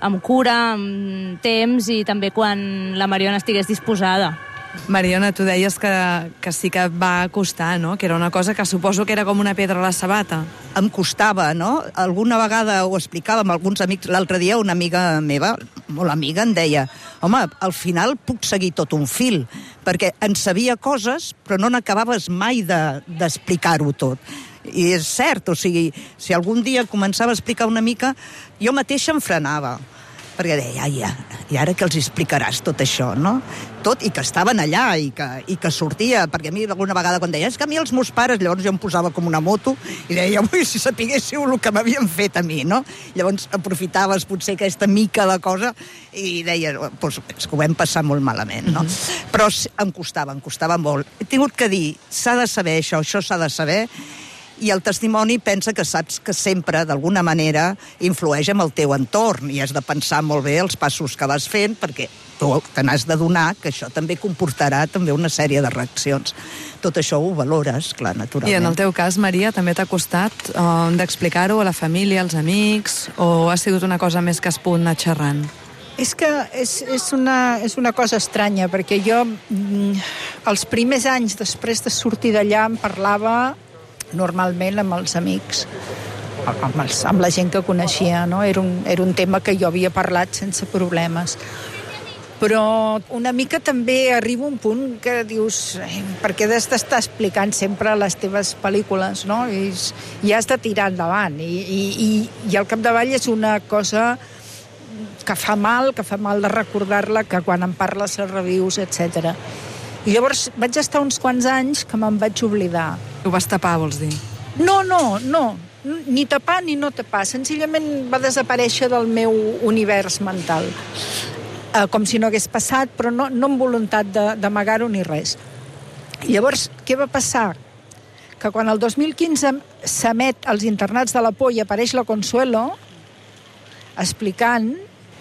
amb cura, amb temps, i també quan la Mariona estigués disposada. Mariona, tu deies que, que sí que va costar, no? Que era una cosa que suposo que era com una pedra a la sabata. Em costava, no? Alguna vegada ho explicava amb alguns amics. L'altre dia una amiga meva, molt amiga, em deia: home, al final puc seguir tot un fil, perquè en sabia coses, però no n'acabaves mai de, d'explicar-ho tot. I és cert, o sigui, si algun dia començava a explicar una mica, jo mateixa em frenava, perquè deia, ai, ja, i ara que els explicaràs tot això, no? Tot, i que estaven allà, i que, i que sortia, perquè a mi alguna vegada quan deia, és que a mi els meus pares, llavors jo em posava com una moto, i deia, ui, si sapiguéssiu el que m'havien fet a mi, no? Llavors aprofitaves potser aquesta mica de cosa, i deia, doncs, és que ho vam passar molt malament, no? Mm-hmm. Però em costava, em costava molt. He tingut que dir, s'ha de saber això, això s'ha de saber, i el testimoni pensa que saps que sempre, d'alguna manera, influeix en el teu entorn, i has de pensar molt bé els passos que vas fent, perquè tu te n'has de donar, que això també comportarà també una sèrie de reaccions. Tot això ho valores, clar, naturalment. I en el teu cas, Maria, també t'ha costat uh, d'explicar-ho a la família, als amics, o ha sigut una cosa més que has pogut anar xerrant? És que és, és, una, és una cosa estranya, perquè jo mm, els primers anys després de sortir d'allà em parlava normalment amb els amics, amb, els, amb la gent que coneixia, no? Era un, era un tema que jo havia parlat sense problemes. Però una mica també arriba un punt que dius, eh, perquè has d'estar explicant sempre les teves pel·lícules, no? I, i has de tirar endavant. I, i, i, i al capdavall és una cosa que fa mal, que fa mal de recordar-la, que quan en parles les reviews, etcètera. I llavors vaig estar uns quants anys que me'n vaig oblidar. Ho vas tapar, vols dir? No, no, no. Ni tapar ni no tapar. Senzillament va desaparèixer del meu univers mental. Eh, com si no hagués passat, però no, no amb voluntat d'amagar-ho ni res. I llavors, què va passar? Que quan el dos mil quinze s'emet als internats de la por i apareix la Consuelo explicant...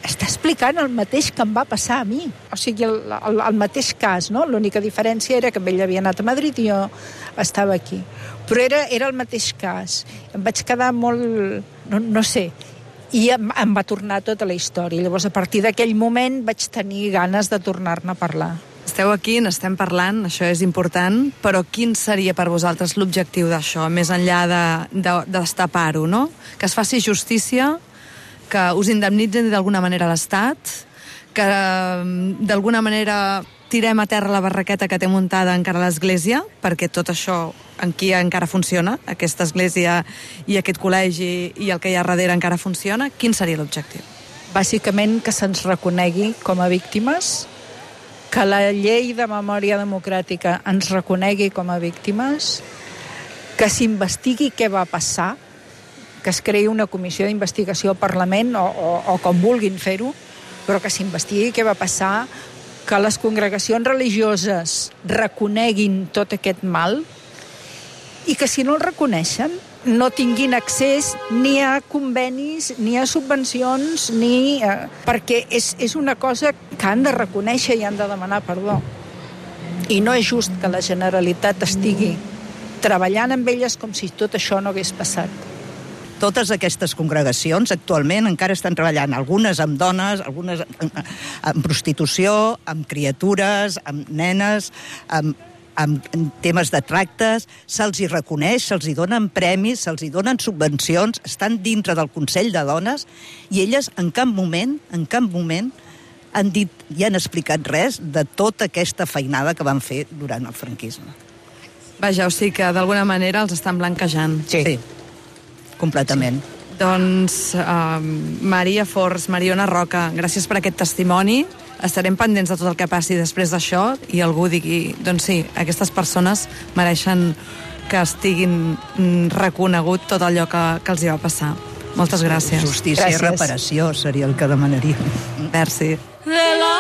està explicant el mateix que em va passar a mi. O sigui, el, el, el mateix cas, no? L'única diferència era que ell havia anat a Madrid i jo estava aquí. Però era, era el mateix cas. Em vaig quedar molt... no, no sé. I em, em va tornar tota la història. Llavors, a partir d'aquell moment vaig tenir ganes de tornar-ne a parlar. Esteu aquí, n'estem parlant, això és important, però quin seria per vosaltres l'objectiu d'això, més enllà de, de, de destapar-ho, no? Que es faci justícia, que us indemnitzen d'alguna manera l'Estat, que d'alguna manera tirem a terra la barraqueta que té muntada encara l'Església, perquè tot això aquí encara funciona, aquesta església i aquest col·legi i el que hi ha darrere encara funciona. Quin seria l'objectiu? Bàsicament que se'ns reconegui com a víctimes, que la llei de memòria democràtica ens reconegui com a víctimes, que s'investigui què va passar, que es creï una comissió d'investigació al Parlament o, o, o com vulguin fer-ho, però que s'investigui què va passar, que les congregacions religioses reconeguin tot aquest mal i que si no el reconeixen no tinguin accés ni a convenis, ni a subvencions, ni a... perquè és, és una cosa que han de reconèixer i han de demanar perdó. I no és just que la Generalitat estigui treballant amb elles com si tot això no hagués passat. Totes aquestes congregacions actualment encara estan treballant, algunes amb dones, algunes amb prostitució, amb criatures, amb nenes, amb, amb temes de tractes, se'ls hi reconeix, se'ls hi donen premis, se'ls hi donen subvencions, estan dintre del Consell de Dones i elles en cap moment, en cap moment han dit i han explicat res de tota aquesta feinada que van fer durant el franquisme. Vaja, o sigui que d'alguna manera els estan blanquejant. Sí. sí. Completament. Sí. Doncs, uh, Maria Forns, Mariona Roca, gràcies per aquest testimoni. Estarem pendents de tot el que passi després d'això i algú digui, doncs sí, aquestes persones mereixen que estiguin reconegut tot allò que, que els hi va passar. Moltes gràcies. Justícia gràcies. I reparació seria el que demanaríem. Merci. De la...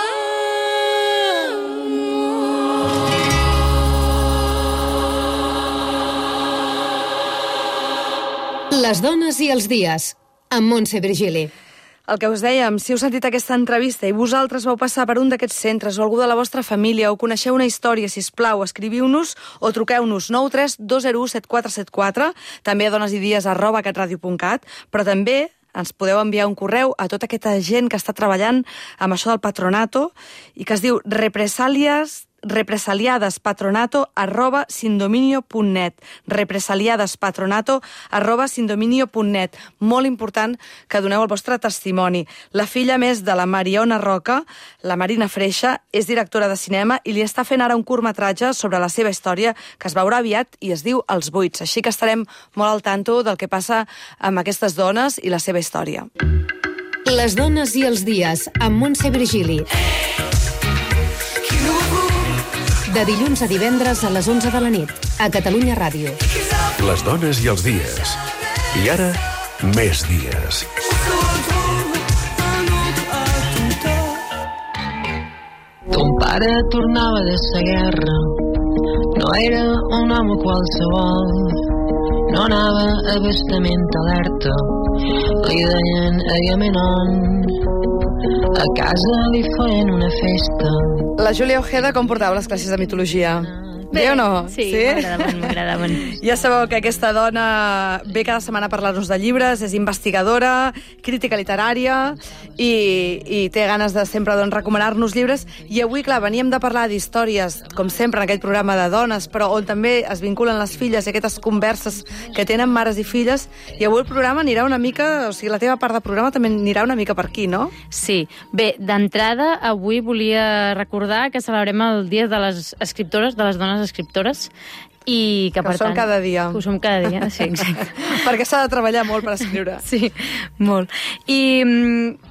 Les dones i els dies, amb Montse Virgili. El que us dèiem, si heu sentit aquesta entrevista i vosaltres vau passar per un d'aquests centres o algú de la vostra família o coneixeu una història, sisplau, escriviu-nos o truqueu-nos nou tres dos zero u set quatre set quatre, també a donesidies arroba catradio punt cat, però també ens podeu enviar un correu a tota aquesta gent que està treballant amb això del patronato i que es diu represalias represaliadespatronato arroba sindominio punt net represaliadespatronato arroba sindominio punt net. Molt important que doneu el vostre testimoni. La filla més de la Mariona Roca, la Marina Freixa, és directora de cinema i li està fent ara un curtmetratge sobre la seva història que es veurà aviat i es diu Els buits. Així que estarem molt al tanto del que passa amb aquestes dones i la seva història. Les dones i els dies, amb Montse Virgili. De dilluns a divendres a les onze de la nit, a Catalunya Ràdio. Les dones i els dies. I ara, més dies. Ton pare tornava de sa guerra. No era un home qualsevol. No anava a bastament alerta. Li deien Agamenon. A casa li feien una festa. La Júlia Ojeda com portava les classes de mitologia? Bé o no? Sí, sí? m'agradaven, m'agradaven. Ja sabeu que aquesta dona ve cada setmana a parlar-nos de llibres, és investigadora, crítica literària i, i té ganes de sempre doncs, recomanar-nos llibres. I avui, clar, veníem de parlar d'històries, com sempre, en aquest programa de dones, però on també es vinculen les filles i aquestes converses que tenen mares i filles. I avui el programa anirà una mica, o sigui, la teva part del programa també anirà una mica per aquí, no? Sí. Bé, d'entrada, avui volia recordar que celebrem el Dia de les Escriptores, de les Dones Escriptores, i que, que per ho som tant, cada dia. Ho som cada dia, sí, exacte. Perquè s'ha de treballar molt per escriure. Sí, molt. I,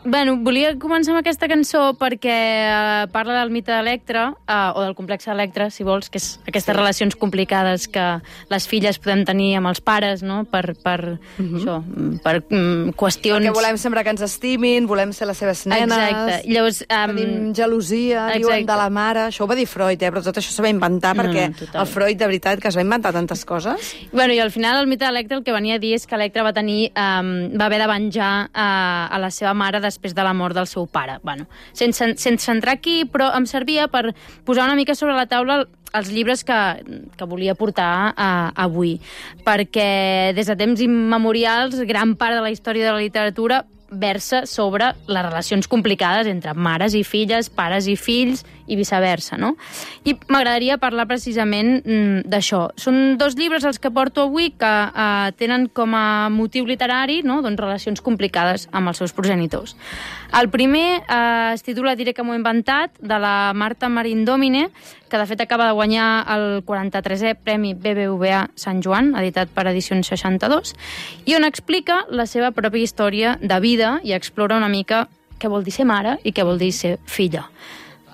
bueno, volia començar amb aquesta cançó perquè uh, parla del mite d'Electra, uh, o del complex d'Electra, si vols, que és aquestes sí. relacions complicades que les filles podem tenir amb els pares, no?, per, per, uh-huh. això, per um, qüestions... Perquè volem sempre que ens estimin, volem ser les seves nenes... Exacte. Llavors, um... tenim gelosia, exacte. Diuen de la mare... Això ho va dir Freud, eh? Però tot això s'ho va inventar perquè no, no, el Freud, de veritat, que es va inventar tantes coses. Bueno, i al final el mite d'Electra el que venia a dir és que Electra va tenir, um, va haver de venjar uh, a la seva mare després de la mort del seu pare. Bueno, sense, sense entrar aquí, però em servia per posar una mica sobre la taula els llibres que, que volia portar uh, avui. Perquè des de temps immemorials, gran part de la història de la literatura versa sobre les relacions complicades entre mares i filles, pares i fills i viceversa, no? I m'agradaria parlar precisament mm, d'això. Són dos llibres els que porto avui que eh, tenen com a motiu literari, no?, doncs, relacions complicades amb els seus progenitors. El primer eh, es titula Diré que m'ho he inventat, de la Marta Marín Domine, que de fet acaba de guanyar el quaranta-tresè Premi B B V A Sant Joan, editat per Edicions seixanta-dos, i on explica la seva pròpia història de vida i explora una mica què vol dir ser mare i què vol dir ser filla.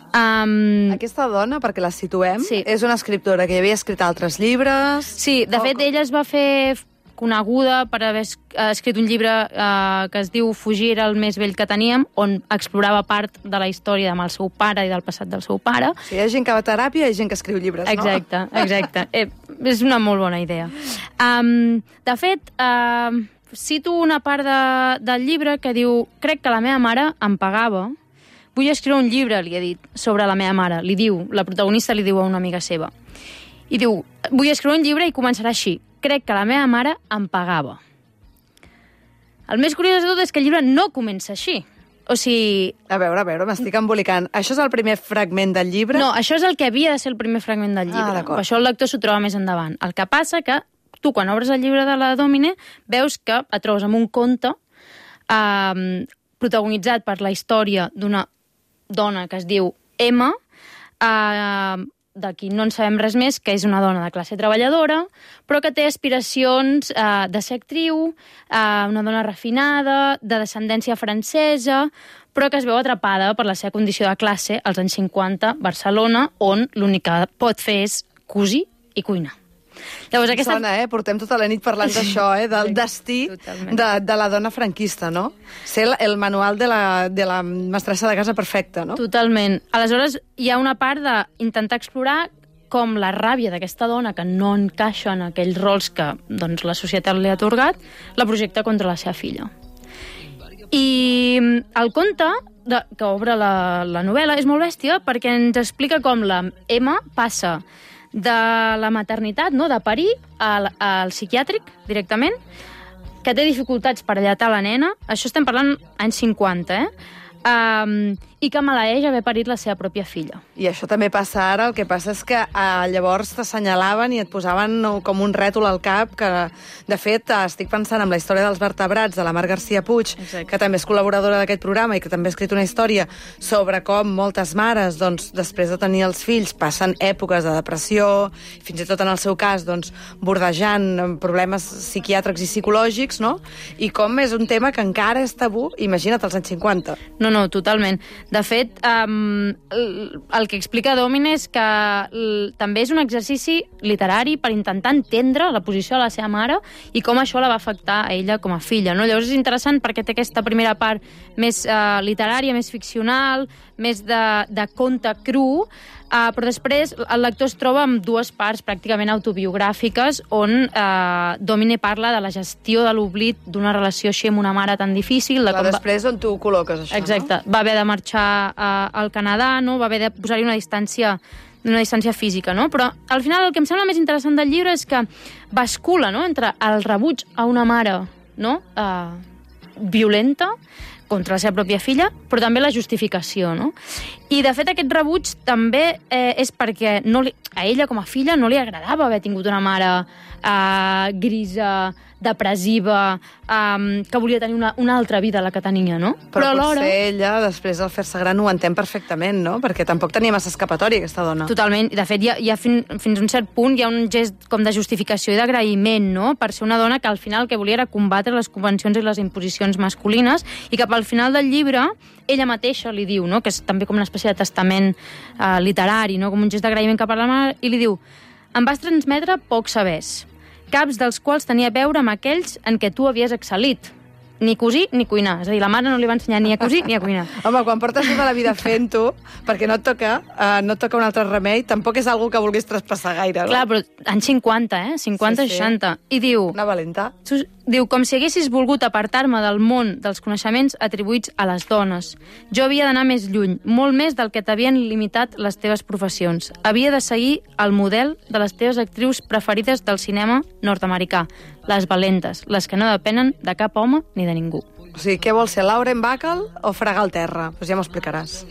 Um... Aquesta dona, perquè la situem, sí. és una escriptora que havia escrit altres llibres... Sí, de o... fet, ella es va fer coneguda per haver escrit un llibre eh, que es diu Fugir era el més vell que teníem, on explorava part de la història amb el seu pare i del passat del seu pare. Sí, hi ha gent que va a teràpia i hi ha gent que escriu llibres, no? Exacte, exacte. eh, és una molt bona idea. Um, de fet, uh, cito una part de, del llibre que diu: crec que la meva mare em pagava. Vull escriure un llibre, li he dit, sobre la meva mare. Li diu, la protagonista li diu a una amiga seva. I diu, vull escriure un llibre i començarà així. Crec que la meva mare em pagava. El més curiós de tot és que el llibre no comença així. O sigui... A veure, a veure, m'estic embolicant. Això és el primer fragment del llibre? No, això és el que havia de ser el primer fragment del llibre. Ah, d'acord. Això el lector s'ho troba més endavant. El que passa que tu, quan obres el llibre de la Domine, veus que et trobes amb un conte eh, protagonitzat per la història d'una dona que es diu Emma, eh, de qui no en sabem res més, que és una dona de classe treballadora, però que té aspiracions eh, de ser actriu, eh, una dona refinada, de descendència francesa, però que es veu atrapada per la seva condició de classe als anys cinquanta, Barcelona, on l'únic que pot fer és cosir i cuinar. Llavors, aquesta... Sona, eh? Portem tota la nit parlant d'això, eh? Del destí de, de la dona franquista, no? Ser el, el manual de la, de la mestressa de casa perfecta, no? Totalment. Aleshores, hi ha una part d'intentar explorar com la ràbia d'aquesta dona que no encaixa en aquells rols que doncs, la societat li ha atorgat, la projecta contra la seva filla. I el conte de, que obre la, la novel·la és molt bèstia perquè ens explica com la Emma passa de la maternitat, no, de parir, al, al psiquiàtric directament, que té dificultats per allatar la nena, això estem parlant anys cinquanta, eh? Um, i que maleeix haver parit la seva pròpia filla. I això també passa ara, el que passa és que eh, llavors t'assenyalaven i et posaven no, com un rètol al cap, que de fet estic pensant en la història dels vertebrats de la Mar García Puig, exacte, que també és col·laboradora d'aquest programa i que també ha escrit una història sobre com moltes mares, doncs, després de tenir els fills, passen èpoques de depressió, fins i tot en el seu cas, doncs, bordejant problemes psiquiàtrics i psicològics, no? I com és un tema que encara és tabú, imagina't, als anys cinquanta. No, no, totalment. De fet, um, el, el que explica Domine és que l, també és un exercici literari per intentar entendre la posició de la seva mare i com això la va afectar a ella com a filla. No? Llavors és interessant perquè té aquesta primera part més uh, literària, més ficcional, més de, de conte cru, Uh, però després el lector es troba amb dues parts pràcticament autobiogràfiques on uh, Domine parla de la gestió de l'oblit d'una relació així amb una mare tan difícil. Clar, com després va... on tu ho col·loques, això, exacte, no? Va haver de marxar uh, al Canadà, no? Va haver de posar-hi una distància una distància física, no? Però al final el que em sembla més interessant del llibre és que bascula, no?, entre el rebuig a una mare, no?, uh, violenta contra la seva pròpia filla, però també la justificació, no? I, de fet, aquest rebuig també eh, és perquè no li, a ella, com a filla, no li agradava haver tingut una mare eh, grisa, depressiva, um, que volia tenir una, una altra vida, la que tenia, no? Però, però potser ella, després al fer-se gran, ho entén perfectament, no? Perquè tampoc tenia massa escapatòria, aquesta dona. Totalment. I, de fet, hi ha, hi ha fin, fins a un cert punt hi ha un gest com de justificació i d'agraïment, no?, per ser una dona que al final el que volia era combatre les convencions i les imposicions masculines i que al final del llibre ella mateixa li diu, no?, que és també com una espècie de testament eh, literari, no?, com un gest d'agraïment cap a la mare, i li diu: em vas transmetre pocs sabers, caps dels quals tenia a veure amb aquells en què tu havies excel·lit. Ni cosir ni cuinar. És a dir, la mare no li va ensenyar ni a cosir ni a cuinar. Home, quan portes tota la vida fent-ho, perquè no et toca, uh, no et toca un altre remei, tampoc és algo que vulguis traspassar gaire, no? Clar, però anys cinquanta, eh? cinquanta, sí, sí. seixanta. I diu... Una valenta. Diu, com si haguessis volgut apartar-me del món dels coneixements atribuïts a les dones. Jo havia d'anar més lluny, molt més del que t'havien limitat les teves professions. Havia de seguir el model de les teves actrius preferides del cinema nord-americà, les valentes, les que no depenen de cap home ni de ningú. O sigui, què vols ser, Lauren Bacall o fregar el terra? Doncs pues ja m'ho explicaràs.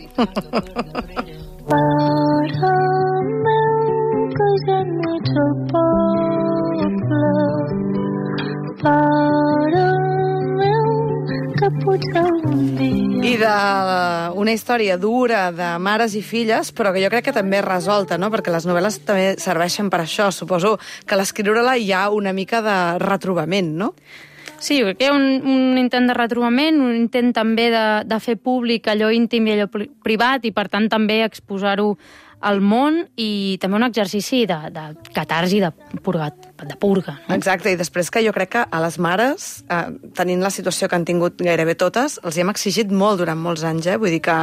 I d'una història dura de mares i filles, però que jo crec que també és resolta, no? Perquè les novel·les també serveixen per això. Suposo que a l'escriure-la hi ha una mica de retrobament, no? Sí, jo crec que hi ha un, un intent de retrobament, un intent també de, de fer públic allò íntim i allò privat i, per tant, també exposar-ho al món i també un exercici de, de catarsi, de, purgat, de purga. No? Exacte, i després que jo crec que a les mares, eh, tenint la situació que han tingut gairebé totes, els hi hem exigit molt durant molts anys, eh? Vull dir que,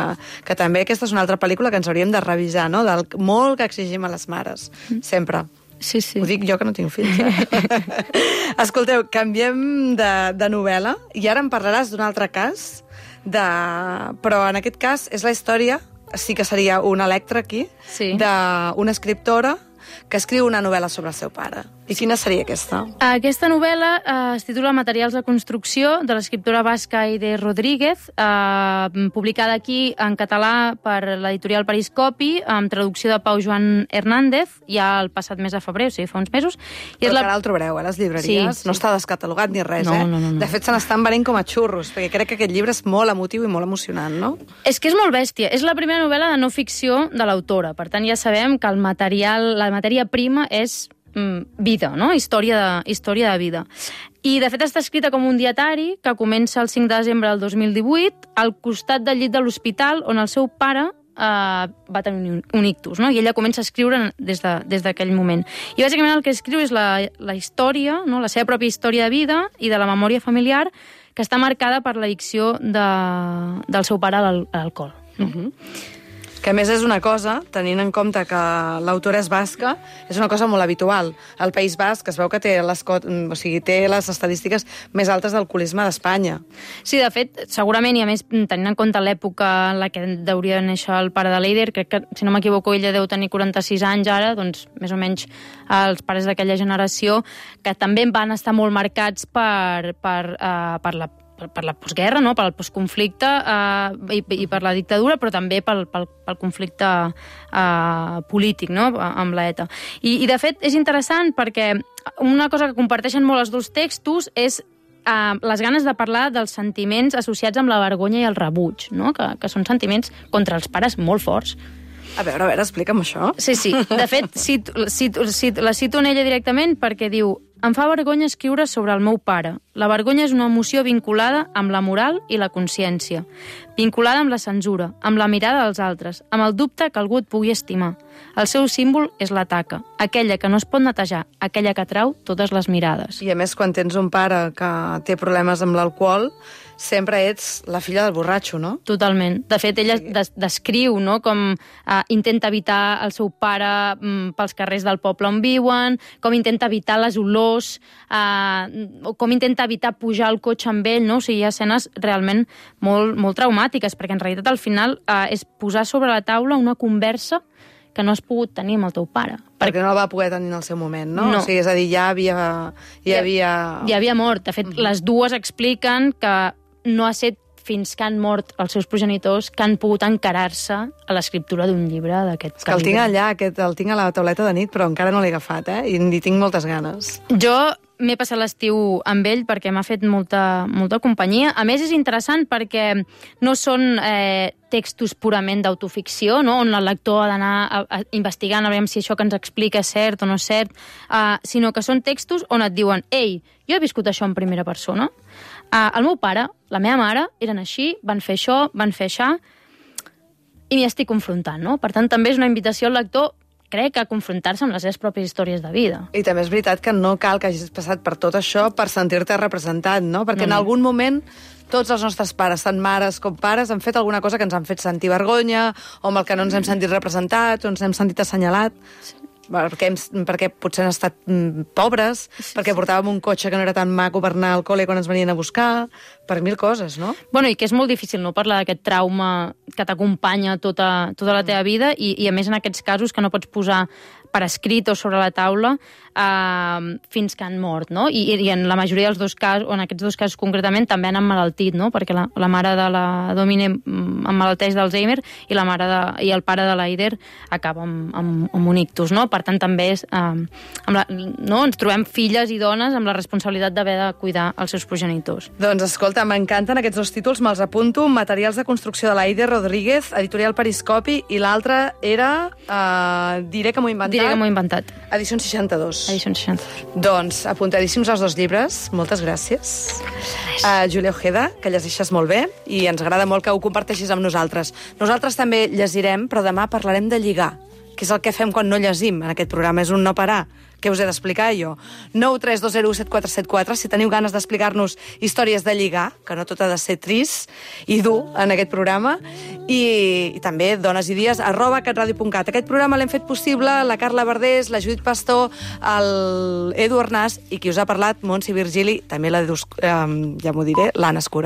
que també aquesta és una altra pel·lícula que ens hauríem de revisar, no?, del molt que exigim a les mares, sempre. Sí, sí. Ho dic jo que no tinc fills, eh? Escolteu, canviem de, de novel·la i ara em parlaràs d'un altre cas, de... però en aquest cas és la història, sí que seria un Electra aquí, sí, d'una escriptora que escriu una novel·la sobre el seu pare. I quina seria aquesta? Aquesta novel·la eh, es titula Materials de construcció, de l'escriptora basca Aide Rodríguez, eh, publicada aquí en català per l'editorial Periscopi, amb traducció de Pau Joan Hernández, ja el passat mes de febrer, o sigui, fa uns mesos. I Però és la... que ara el trobareu, a les llibreries. Sí, sí. No està descatalogat ni res, no, eh? No, no, no. De fet, se n'estan venent com a xurros, perquè crec que aquest llibre és molt emotiu i molt emocionant, no? És que és molt bèstia. És la primera novel·la de no ficció de l'autora. Per tant, ja sabem que el material, la matèria prima és vida, no? Història de, història de vida. I, de fet, està escrita com un dietari que comença el cinc de desembre del dos mil divuit al costat del llit de l'hospital on el seu pare eh, va tenir un, un ictus, no? I ella comença a escriure des d'aquell de, moment. I, bàsicament, el que escriu és la, la història, no? La seva pròpia història de vida i de la memòria familiar que està marcada per l'addicció de, del seu pare a l'alcohol. No? Uh-huh. Que a més és una cosa, tenint en compte que l'autora és basca, és una cosa molt habitual. Al País Basc es veu que té les, o sigui, té les estadístiques més altes d'alcoholisme d'Espanya. Sí, de fet, segurament, i a més, tenint en compte l'època en la que hauria de néixer el pare de l'Eider, crec que, si no m'equivoco, ella deu tenir quaranta-sis anys ara, doncs més o menys els pares d'aquella generació, que també van estar molt marcats per, per, uh, per la per, per la postguerra, no? Per el postconflicte eh, i, i per la dictadura, però també pel, pel, pel conflicte eh, polític, no? Amb l'ETA. I, I, de fet, és interessant perquè una cosa que comparteixen molt els dos textos és eh, les ganes de parlar dels sentiments associats amb la vergonya i el rebuig, no? Que, que són sentiments contra els pares molt forts. A veure, a veure, explica'm això. Sí, sí. De fet, cito, cito, cito, la cito en ella directament perquè diu: em fa vergonya escriure sobre el meu pare. La vergonya és una emoció vinculada amb la moral i la consciència, vinculada amb la censura, amb la mirada dels altres, amb el dubte que algú et pugui estimar. El seu símbol és la taca, aquella que no es pot netejar, aquella que atrau totes les mirades. I a més, quan tens un pare que té problemes amb l'alcohol, sempre ets la filla del borratxo, no? Totalment. De fet, ella des descriu, no?, com eh, intenta evitar el seu pare mm, pels carrers del poble on viuen, com intenta evitar les olors, eh, com intenta evitar pujar al cotxe amb ell, no? O sigui, hi ha escenes realment molt, molt traumàtiques, perquè en realitat al final eh, és posar sobre la taula una conversa que no has pogut tenir amb el teu pare. Perquè no el va poder tenir en el seu moment, no? No. O sigui, és a dir, ja havia... Ja havia, ja havia mort. De fet, mm-hmm. les dues expliquen que no ha estat fins que han mort els seus progenitors que han pogut encarar-se a l'escriptura d'un llibre d'aquest calibre. És que el tinc allà, aquest, el tinc a la tauleta de nit, però encara no l'he agafat, eh? I hi tinc moltes ganes. Jo m'he passat l'estiu amb ell perquè m'ha fet molta, molta companyia. A més, és interessant perquè no són eh, textos purament d'autoficció, no?, on el lector ha d'anar a, a investigant a veure si això que ens explica és cert o no és cert, eh, sinó que són textos on et diuen: ei, jo he viscut això en primera persona, eh, el meu pare, la meva mare, eren així, van fer això, van fer això, i m'hi estic confrontant, no? Per tant, també és una invitació al lector, crec, a confrontar-se amb les seves pròpies històries de vida. I també és veritat que no cal que hagis passat per tot això per sentir-te representat, no? Perquè no, no. en algun moment tots els nostres pares, tant mares com pares, han fet alguna cosa que ens han fet sentir vergonya, o amb el que no ens hem sentit representats, o ens hem sentit assenyalat. Sí. Perquè, hem, perquè potser han estat mm, pobres, sí, perquè portàvem un cotxe que no era tan maco per anar al col·le quan ens venien a buscar, per mil coses, no? Bueno, i que és molt difícil no parlar d'aquest trauma que t'acompanya tota, tota la teva vida, i, i a més en aquests casos que no pots posar per escrit o sobre la taula eh, fins que han mort, no? I, i en la majoria dels dos casos, o en aquests dos casos concretament, també han emmalaltit, no? Perquè la, la mare de la Domine emmalalteix d'Alzheimer i la mare de, i el pare de l'Eider acaba amb, amb, amb un ictus, no? Per tant, també és, eh, amb la, no? ens trobem filles i dones amb la responsabilitat d'haver de cuidar els seus progenitors. Doncs escolta, m'encanten aquests dos títols, me'ls apunto: Materials de construcció de l'Eider Rodríguez, editorial Periscopi, i l'altre era eh, Diré que m'ho he inventat. Diré que m'ho he inventat. Edicions seixanta-dos. Edicions seixanta-dos. Doncs apuntadíssims els dos llibres. Moltes gràcies. Uh, Júlia Ojeda, que llegeixes molt bé i ens agrada molt que ho comparteixis amb nosaltres. Nosaltres també llegirem, però demà parlarem de lligar, que és el que fem quan no llegim en aquest programa, és un no parar. Què us he d'explicar jo? nou tres dos zero set quatre set quatre, si teniu ganes d'explicar-nos històries de lligar, que no tot ha de ser trist i dur en aquest programa, i, i també dones i dies, arroba catradio punt cat. Aquest programa l'hem fet possible la Carla Verdés, la Judit Pastor, el Edu Arnàs, i qui us ha parlat, Montse Virgili, també la, eh, ja m'ho diré, l'Anna Escura.